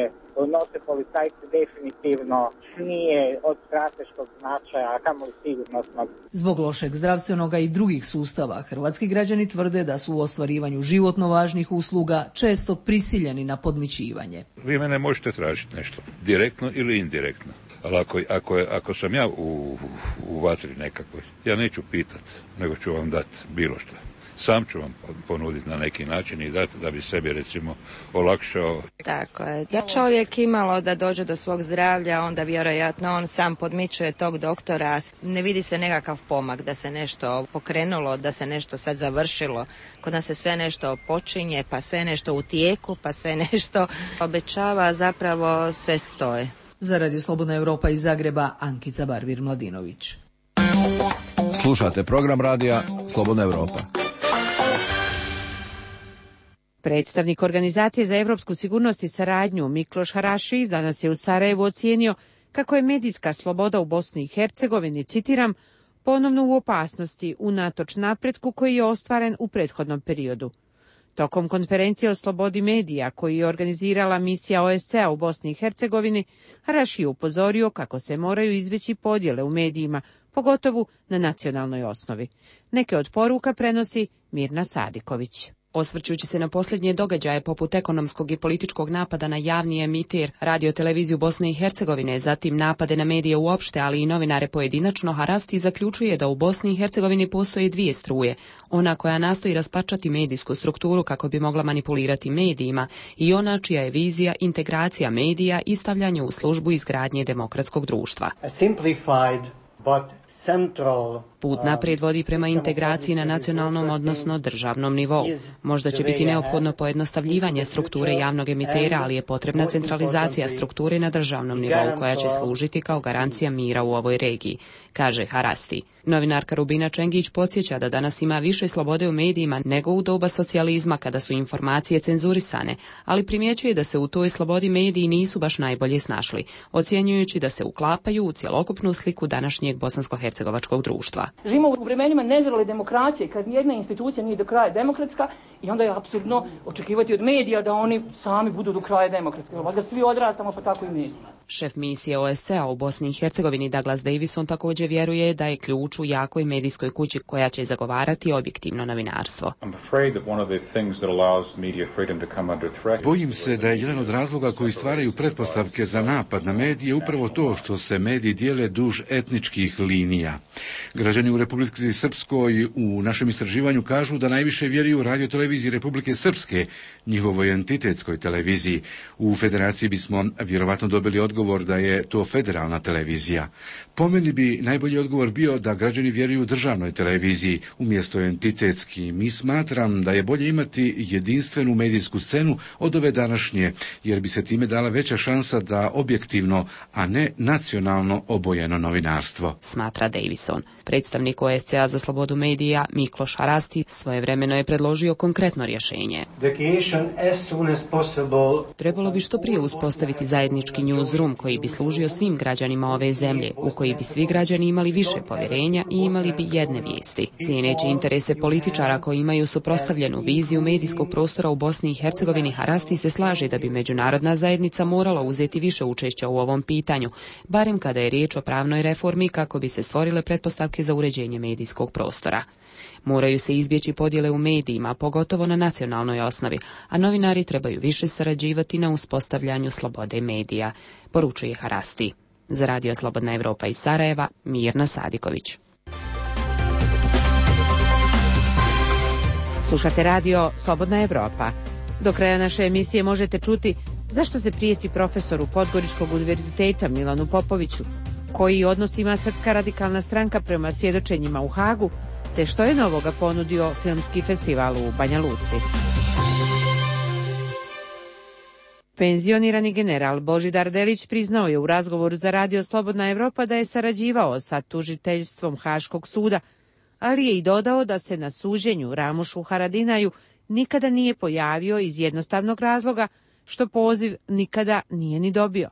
nose policajci definitivno nije od strateškog značaja, a kamoli sigurnosnog. Zbog lošeg zdravstvenog i drugih sustava, hrvatski građani tvrde da su u ostvarivanju životno važnih usluga često prisiljeni na podmićivanje. Vi mene možete tražiti nešto, direktno ili indirektno. Ali ako sam ja u vatri nekakvoj, ja neću pitat, nego ću vam dati bilo što. Sam ću vam ponuditi na neki način i dati da bi sebi recimo olakšao. Tako je. Da čovjek imalo da dođe do svog zdravlja, onda vjerojatno on sam podmičuje tog doktora. Ne vidi se nekakav pomak da se nešto pokrenulo, da se nešto sad završilo. Kod nas se sve nešto počinje, pa sve nešto u tijeku, pa sve nešto obećava, zapravo sve stoje. Za Radio Slobodna Europa iz Zagreba, Ankica Barvir-Mladinović. Slušate program radija Slobodna Europa. Predstavnik Organizacije za europsku sigurnost i saradnju Mikloš Haraši danas je u Sarajevu ocijenio kako je medijska sloboda u Bosni i Hercegovini, citiram, ponovno u opasnosti unatoč napretku koji je ostvaren u prethodnom periodu. Tokom konferencije o slobodi medija koju je organizirala misija OSCE-a u Bosni i Hercegovini, Haraši je upozorio kako se moraju izbjeći podjele u medijima, pogotovo na nacionalnoj osnovi. Neke od poruka prenosi Mirna Sadiković. Osvrćući se na posljednje događaje poput ekonomskog i političkog napada na javni emitir radio-televiziju Bosne i Hercegovine, zatim napade na medije uopšte, ali i novinare pojedinačno, Harasti zaključuje da u Bosni i Hercegovini postoje dvije struje. Ona koja nastoji raspačati medijsku strukturu kako bi mogla manipulirati medijima i ona čija je vizija integracija medija i stavljanje u službu izgradnje demokratskog društva. Put naprijed vodi prema integraciji na nacionalnom, odnosno državnom nivou. Možda će biti neophodno pojednostavljivanje strukture javnog emitera, ali je potrebna centralizacija strukture na državnom nivou koja će služiti kao garancija mira u ovoj regiji, kaže Harasti. Novinarka Rubina Čengić podsjeća da danas ima više slobode u medijima nego u doba socijalizma kada su informacije cenzurisane, ali primjećuje da se u toj slobodi mediji nisu baš najbolje snašli, ocjenjujući da se uklapaju u cjelokupnu sliku današnjeg bosansko-hercegovačkog društva. Živimo u vremenima nezrele demokracije, kad nijedna institucija nije do kraja demokratska i onda je apsurdno očekivati od medija da oni sami budu do kraja demokratski. Valjda svi odrastamo pa tako i mediji. Šef misije OSCE-a u Bosni i Hercegovini Douglas Davison također vjeruje da je ključ u jakoj medijskoj kući koja će zagovarati objektivno novinarstvo. Bojim se da je jedan od razloga koji stvaraju pretpostavke za napad na medije upravo to što se mediji dijele duž etničkih linija. Građani u Republici Srpskoj u našem istraživanju kažu da najviše vjeruju radio-televiziji Republike Srpske, njihovoj entitetskoj televiziji. U federaciji bismo vjerovatno dobili odgovor da je to federalna televizija. Po meni bi najbolji odgovor bio da građani vjeruju državnoj televiziji umjesto entitetski. Mi smatram da je bolje imati jedinstvenu medijsku scenu od ove današnje, jer bi se time dala veća šansa da objektivno, a ne nacionalno obojeno novinarstvo. Smatra Davison. Predstavnik OSCE-a za slobodu medija Mikloš Harasti svojevremeno je predložio konkretno rješenje. Trebalo bi što prije uspostaviti zajednički newsroom koji bi služio svim građanima ove zemlje, u koji bi svi građani imali više povjerenja i imali bi jedne vijesti. Cijeneći interese političara koji imaju suprotstavljenu viziju medijskog prostora u Bosni i Hercegovini, Harasti se slaže da bi međunarodna zajednica morala uzeti više učešća u ovom pitanju, barem kada je riječ o pravnoj reformi kako bi se stvorile pretpostavke za uređenje medijskog prostora. Moraju se izbjeći podjele u medijima, pogotovo na nacionalnoj osnovi, a novinari trebaju više sarađivati na uspostavljanju slobode medija, poručuje Harasti. Za Radio Slobodna Europa iz Sarajeva, Mirna Sadiković. Slušate radio Slobodna Europa. Do kraja naše emisije možete čuti Zašto se prijeti profesoru Podgoričkog univerziteta Milanu Popoviću? Koji odnos ima Srpska radikalna stranka prema svjedočenjima u Hagu? Te što je novoga ponudio filmski festival u Banja Luci? Penzionirani general Božidar Delić priznao je u razgovoru za Radio Slobodna Evropa da je sarađivao sa tužiteljstvom Haškog suda, ali je i dodao da se na suđenju Ramušu Haradinaju nikada nije pojavio iz jednostavnog razloga što poziv nikada nije ni dobio.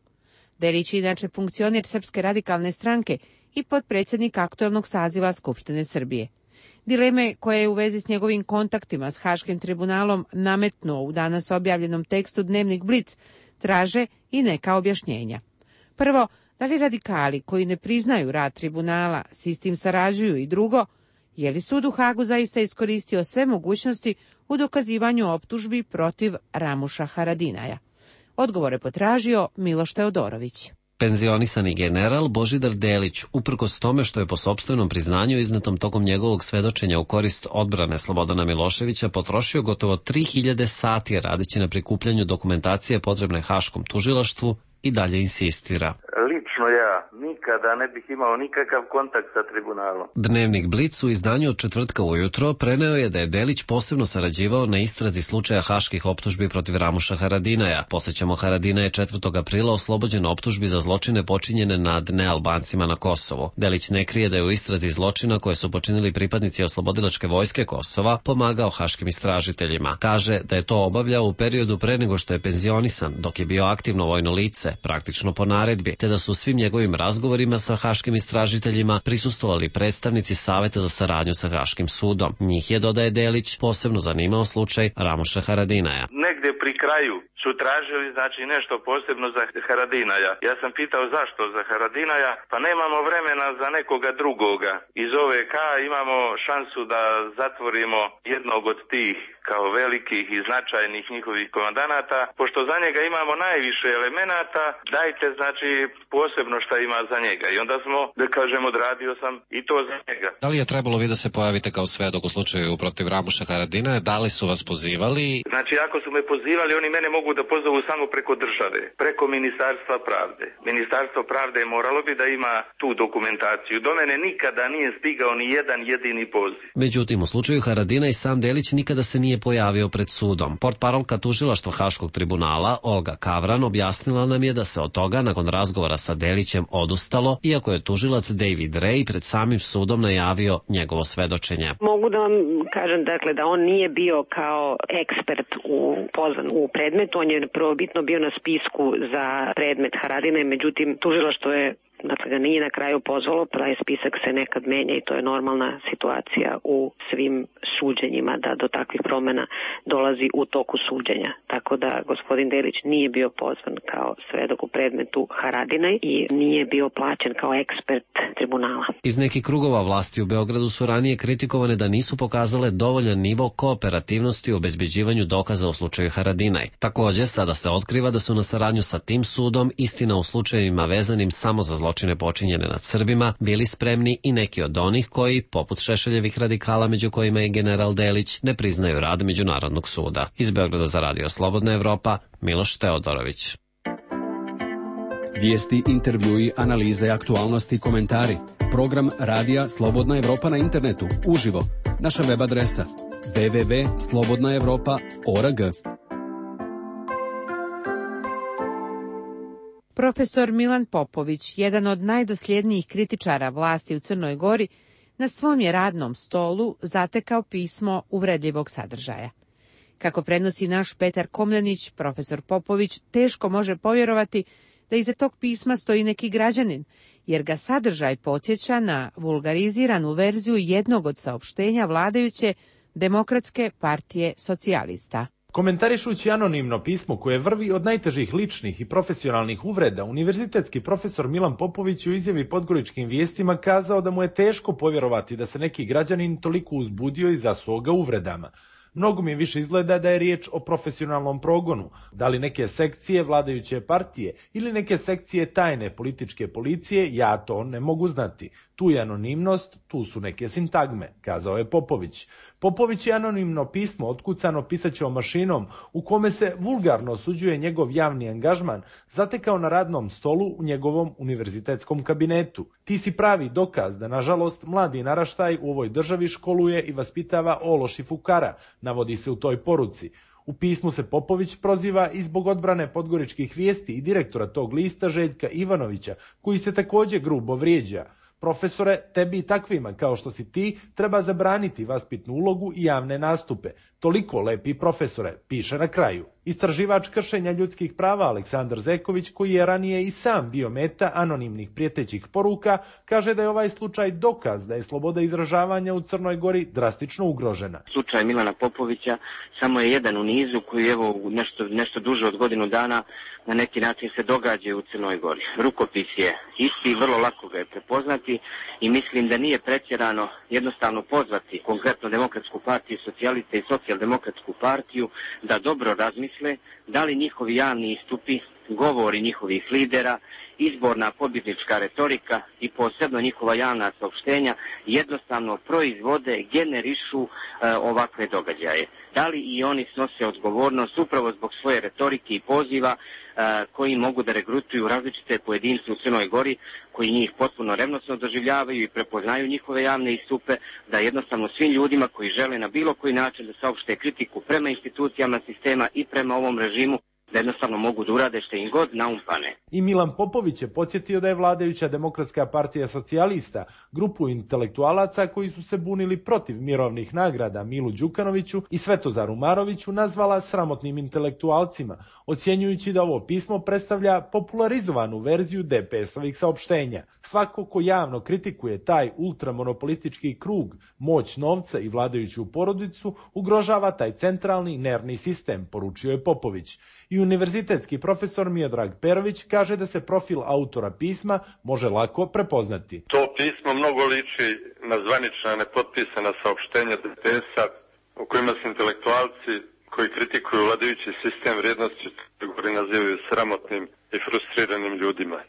Delić je inače funkcioner Srpske radikalne stranke i potpredsjednik aktuelnog saziva Skupštine Srbije. Dileme koje je u vezi s njegovim kontaktima s Haškim tribunalom nametnuo u danas objavljenom tekstu Dnevnik Blic traže i neka objašnjenja. Prvo, da li radikali koji ne priznaju rad tribunala s istim sarađuju, i drugo, je li sud u Hagu zaista iskoristio sve mogućnosti u dokazivanju optužbi protiv Ramuša Haradinaja? Odgovore potražio Miloš Teodorović. Penzionisani general Božidar Delić, uprkos tome što je po sopstvenom priznanju iznetom tokom njegovog svedočenja u korist odbrane Slobodana Miloševića potrošio gotovo 3000 sati radeći na prikupljanju dokumentacije potrebne Haškom tužilaštvu, i dalje insistira. Lično ja nikada ne bih imao nikakav kontakt sa tribunalom. Dnevnik Blic u izdanju od četvrtka ujutro preneo je da je Delić posebno sarađivao na istrazi slučaja haških optužbi protiv Ramuša Haradinaja. Podsjećamo, Haradinaj je 4. aprila oslobođen optužbi za zločine počinjene nad nealbancima na Kosovu. Delić ne krije da je u istrazi zločina koje su počinili pripadnici oslobodilačke vojske Kosova pomagao haškim istražiteljima. Kaže da je to obavljao u periodu pre nego što je penzionisan, dok je bio aktivno vojno lice, praktično po naredbi, te da su svim njegovim razgovorima sa haškim istražiteljima prisustvovali predstavnici Saveta za saradnju sa Haškim sudom. Njih je, dodaje Delić, posebno zanimao slučaj Ramuša Haradinaja. Negdje pri kraju su tražili nešto posebno za Haradinaja. Ja sam pitao zašto za Haradinaja, pa nemamo vremena za nekoga drugoga. Iz OVK imamo šansu da zatvorimo jednog od tih kao velikih i značajnih njihovih komandanata. Pošto za njega imamo najviše elemenata, dajte posebno šta ima za njega. I onda smo, da kažem, odradio sam i to za njega. Da li je trebalo vi da se pojavite kao svedok u slučaju protiv Ramuša Haradinaja? Da li su vas pozivali? Ako su me pozivali, oni mene mogu da pozovu samo preko države, preko Ministarstva pravde. Ministarstvo pravde moralo bi da ima tu dokumentaciju. Do mene nikada nije stigao ni jedan jedini poziv. Međutim, u slučaju Haradina i sam Delić nikada se nije pojavio pred sudom. Portparolka tužilaštva Haškog tribunala Olga Kavran objasnila nam je da se od toga nakon razgovora sa Delićem odustalo, iako je tužilac David Ray pred samim sudom najavio njegovo svedočenje. Mogu da vam kažem da on nije bio kao ekspert pozvan u predmetu, on je prvobitno bio na spisku za predmet Haradine, međutim tužilaštvo je ga nije na kraju pozvalo, taj spisak se nekad menja i to je normalna situacija u svim suđenjima da do takvih promjena dolazi u toku suđenja. Tako da gospodin Delić nije bio pozvan kao svedok u predmetu Haradinaj i nije bio plaćen kao ekspert tribunala. Iz nekih krugova vlasti u Beogradu su ranije kritikovane da nisu pokazale dovoljan nivo kooperativnosti u obezbeđivanju dokaza u slučaju Haradinaj. Također, sada se otkriva da su na saradnju sa tim sudom, istina u slučajevima vezanim samo za zločine počinjene nad Srbima, bili spremni i neki od onih koji, poput Šešeljevih radikala među kojima je general Delić, ne priznaju rad Međunarodnog suda. Iz Beograda za Radio Slobodna Evropa, Miloš Teodorović. Vijesti, intervjui, analize, aktualnosti, komentari. Program Radija Slobodna Evropa na internetu, uživo. Naša web adresa www.slobodnaevropa.org. Profesor Milan Popović, jedan od najdosljednijih kritičara vlasti u Crnoj Gori, na svom je radnom stolu zatekao pismo uvredljivog sadržaja. Kako prenosi naš Petar Komljenić, profesor Popović teško može povjerovati da iza tog pisma stoji neki građanin, jer ga sadržaj podsjeća na vulgariziranu verziju jednog od saopštenja vladajuće Demokratske partije socijalista. Komentarišući anonimno pismo koje vrvi od najtežih ličnih i profesionalnih uvreda, univerzitetski profesor Milan Popović u izjavi Podgoričkim vijestima kazao da mu je teško povjerovati da se neki građanin toliko uzbudio i zasuo ga uvredama. Mnogo mi više izgleda da je riječ o profesionalnom progonu, da li neke sekcije vladajuće partije ili neke sekcije tajne političke policije, ja to ne mogu znati. Tu je anonimnost, tu su neke sintagme, kazao je Popović. Popović je anonimno pismo otkucano pisaćom mašinom u kome se vulgarno osuđuje njegov javni angažman zatekao na radnom stolu u njegovom univerzitetskom kabinetu. Ti si pravi dokaz da, nažalost, mladi naraštaj u ovoj državi školuje i vaspitava ološ i fukara, navodi se u toj poruci. U pismu se Popović proziva i zbog odbrane podgoričkih vijesti i direktora tog lista Željka Ivanovića, koji se također grubo vrijeđa. Profesore, tebi i takvima kao što si ti treba zabraniti vaspitnu ulogu i javne nastupe. Toliko lepi profesore, piše na kraju. Istraživač kršenja ljudskih prava Aleksandar Zeković, koji je ranije i sam bio meta anonimnih prijetećih poruka, kaže da je ovaj slučaj dokaz da je sloboda izražavanja u Crnoj Gori drastično ugrožena. Slučaj Milana Popovića samo je jedan u nizu koji evo nešto duže od godinu dana na neki način se događa u Crnoj Gori. Rukopis je isti i vrlo lako ga je prepoznati i mislim da nije pretjerano jednostavno pozvati konkretno Demokratsku partiju socijaliste i Socijaldemokratsku partiju da dobro razmisle da li njihovi javni istupi, govori njihovih lidera, izborna pobjednička retorika i posebno njihova javna saopštenja jednostavno proizvode, generišu ovakve događaje. Da li i oni snose odgovornost upravo zbog svoje retorike i poziva koji mogu da regrutuju različite pojedince u Crnoj Gori, koji njih potpuno revnosno doživljavaju i prepoznaju njihove javne istupe, da jednostavno svim ljudima koji žele na bilo koji način da saopšte kritiku prema institucijama sistema i prema ovom režimu, da jednostavno mogu da urade što im god naumpane. I Milan Popović je podsjetio da je vladajuća Demokratska partija socijalista grupu intelektualaca koji su se bunili protiv mirovnih nagrada Milu Đukanoviću i Svetozaru Maroviću nazvala sramotnim intelektualcima, ocjenjujući da ovo pismo predstavlja popularizovanu verziju DPS-ovih saopštenja. Svako ko javno kritikuje taj ultramonopolistički krug, moć novca i vladajuću porodicu, ugrožava taj centralni nervni sistem, poručio je Popović. I univerzitetski profesor Miodrag Perović kaže da se profil autora pisma može lako prepoznati. To pismo mnogo liči na zvanična nepotpisana saopštenja DPS-a u kojima se intelektualci koji kritikuju vladajući sistem vrijednosti koji nazivaju sramotnim i frustriranim ljudima.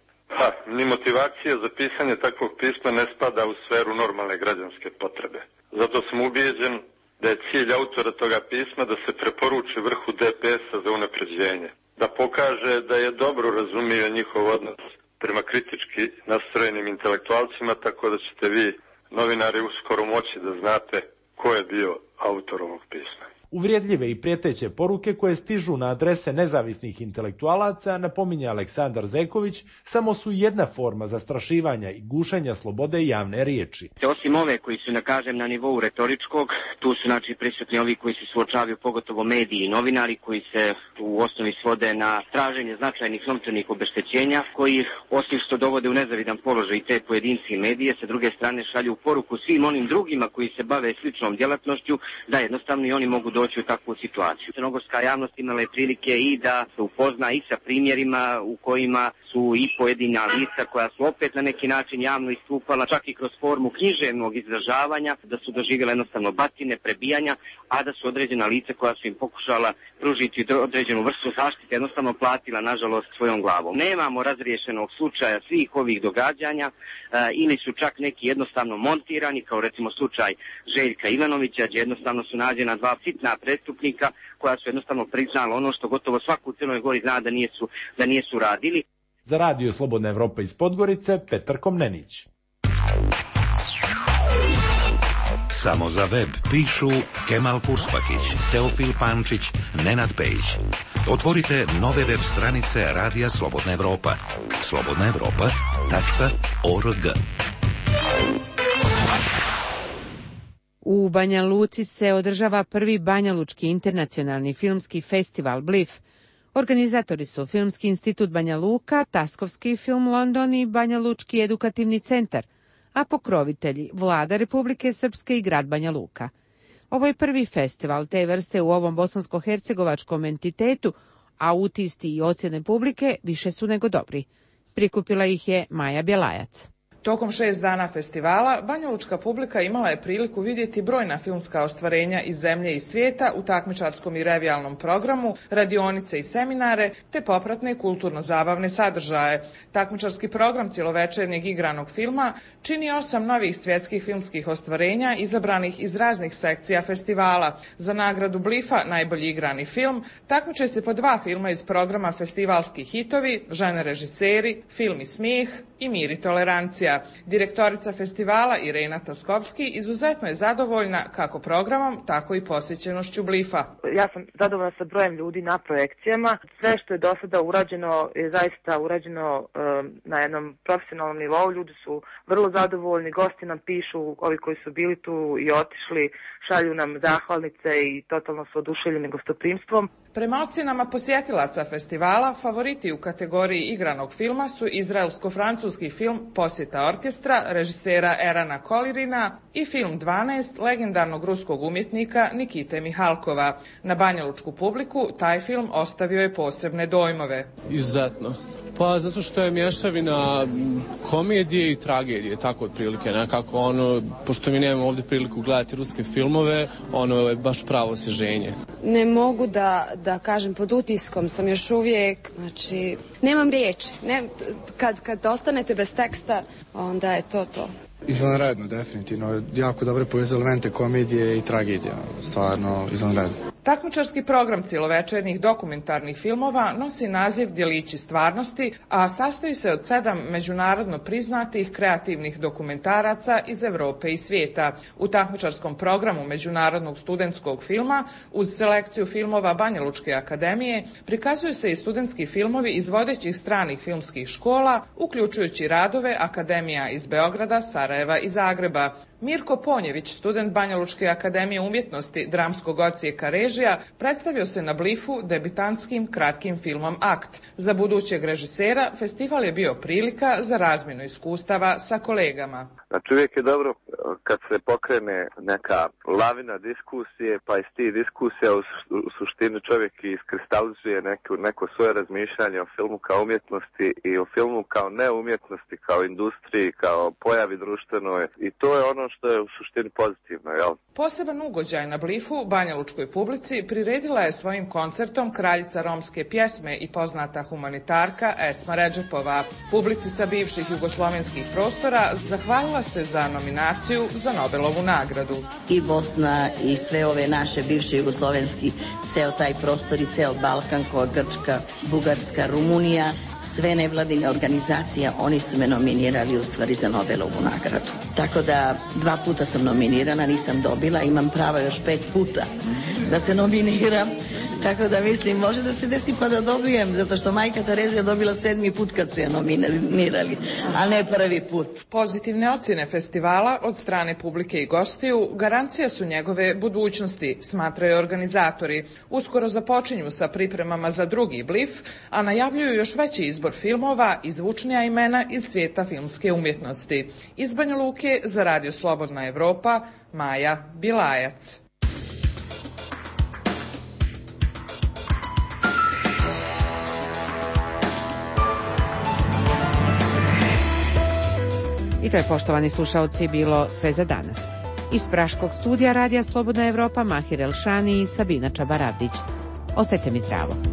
Ni motivacija za pisanje takvog pisma ne spada u sferu normalne građanske potrebe. Zato sam ubijeđen da je cilj autora toga pisma da se preporuči vrhu DPS-a za unapređenje, da pokaže da je dobro razumio njihov odnos prema kritički nastrojenim intelektualcima, tako da ćete vi, novinari, uskoro moći da znate ko je bio autor ovog pisma. Uvrijedljive i prijeteće poruke koje stižu na adrese nezavisnih intelektualaca, napominje Aleksandar Zeković, samo su jedna forma zastrašivanja i gušenja slobode javne riječi. Osim ove koji su, na nivou retoričkog, tu su prisutni ovi koji se suočavaju, pogotovo mediji i novinari, koji se u osnovi svode na traženje značajnih novčanih obeštećenja, koji osim što dovode u nezavidan položaj i te pojedinci i medije, sa druge strane šalju poruku svim onim drugima koji se bave sličnom djelatnošću, da jednostavno i oni mogu doći u takvu situaciju. Crnogorska javnost imala je prilike i da se upozna i sa primjerima u kojima su i pojedina lica koja su opet na neki način javno istupala, čak i kroz formu književnog izražavanja, da su doživjela jednostavno batine, prebijanja, a da su određena lica koja su im pokušala pružiti određenu vrstu zaštite jednostavno platila, nažalost, svojom glavom. Nemamo razriješenog slučaja svih ovih događanja ili su čak neki jednostavno montirani, kao recimo slučaj Željka Ivanovića, gdje jednostavno su nađena dva sitna prestupnika koja su jednostavno priznala ono što gotovo svaku u Crnoj Gori zna da nisu radili. Za Radio Slobodna Evropa iz Podgorice, Petar Komnenić. Samo za web pišu Kemal Kurspakić, Teofil Pančić, Nenad Pejić. Otvorite nove web stranice Radija Slobodna Evropa. slobodnaevropa.org. U Banja Luci se održava prvi Banjalučki internacionalni filmski festival BLIF. Organizatori su Filmski institut Banja Luka, Taskovski film London i Banja Lučki edukativni centar, a pokrovitelji Vlada Republike Srpske i grad Banja Luka. Ovo je prvi festival te vrste u ovom bosansko-hercegovačkom entitetu, a utisci i ocjene publike više su nego dobri. Prikupila ih je Maja Bjelajac. Tokom 6 dana festivala, banjalučka publika imala je priliku vidjeti brojna filmska ostvarenja iz zemlje i svijeta u takmičarskom i revijalnom programu, radionice i seminare, te popratne kulturno-zabavne sadržaje. Takmičarski program cjelovečernjeg igranog filma čini 8 novih svjetskih filmskih ostvarenja izabranih iz raznih sekcija festivala. Za nagradu Blifa najbolji igrani film takmiče se po 2 filma iz programa Festivalski hitovi, Žene režiseri, Film i smijeh i Mir i tolerancija. Direktorica festivala Irena Taskovski izuzetno je zadovoljna kako programom, tako i posjećenošću Blifa. Ja sam zadovoljna sa brojem ljudi na projekcijama. Sve što je do sada urađeno je zaista urađeno na jednom profesionalnom nivou. Ljudi su vrlo zadovoljni, gosti nam pišu, ovi koji su bili tu i otišli, šalju nam zahvalnice i totalno su oduševljeni gostoprimstvom. Prema ocjenama posjetilaca festivala, favoriti u kategoriji igranog filma su izraelsko-francuski film Posjeta orkestra režisera Erana Kolirina i film 12 legendarnog ruskog umjetnika Nikite Mihalkova. Na banjalučku publiku taj film ostavio je posebne dojmove. Izuzetno. Pa zato što je mješavina komedije i tragedije, tako otprilike, nekako pošto mi nemamo ovdje priliku gledati ruske filmove, ono je baš pravo osvježenje. Ne mogu da kažem, pod utiskom sam još uvijek, znači, nemam riječi. Kad ostanete bez teksta, onda je to. Izvanredno, definitivno. Jako dobro povezali elemente komedije i tragedije, stvarno izvanredno. Takmičarski program cjelovečernjih dokumentarnih filmova nosi naziv Djelići stvarnosti, a sastoji se od 7 međunarodno priznatih kreativnih dokumentaraca iz Europe i svijeta. U takmičarskom programu Međunarodnog studentskog filma, uz selekciju filmova Banjalučke akademije, prikazuju se i studentski filmovi iz vodećih stranih filmskih škola, uključujući radove akademija iz Beograda, Sarajeva i Zagreba. Mirko Ponjević, student Banjalučke akademije umjetnosti dramskog odsjeka režija, predstavio se na Blifu debitantskim kratkim filmom Akt. Za budućeg režisera festival je bio prilika za razmjenu iskustava sa kolegama. Znači uvijek je dobro kad se pokrene neka lavina diskusije, pa iz tih diskusija u suštini čovjek iskristalizuje neko svoje razmišljanje o filmu kao umjetnosti i o filmu kao neumjetnosti, kao industriji, kao pojavi društvenoj, i to je ono što je u suštini pozitivno, jel? Poseban ugođaj na Blifu banjalučkoj publici priredila je svojim koncertom kraljica romske pjesme i poznata humanitarka Esma Redžepova. Publici sa bivših jugoslovenskih prostora zahvalila se za nominaciju za Nobelovu nagradu. I Bosna i sve ove naše bivše jugoslovenski, ceo taj prostor i ceo Balkan, kao Grčka, Bugarska, Rumunija, sve nevladine organizacije, oni su me nominirali u stvari za Nobelovu nagradu. Tako da 2 puta sam nominirana, nisam dobila, imam prava još 5 puta da se nominiram. Tako da mislim, može da se desi pa da dobijem, zato što majka Tereza je dobila 7. put kad su je nominirali, a ne prvi put. Pozitivne ocjene festivala od strane publike i gostiju garancija su njegove budućnosti, smatraju organizatori. Uskoro započinju sa pripremama za drugi Blif, a najavljuju još veći izbor filmova i zvučnija imena iz svijeta filmske umjetnosti. Iz Banja Luke za Radio Slobodna Evropa, Maja Bilajac. I to je, poštovani slušaoci, bilo sve za danas. Iz praškog studija Radija Slobodna Evropa, Mahir Elšani i Sabina Čabaravdić. Ostajte mi zdravo.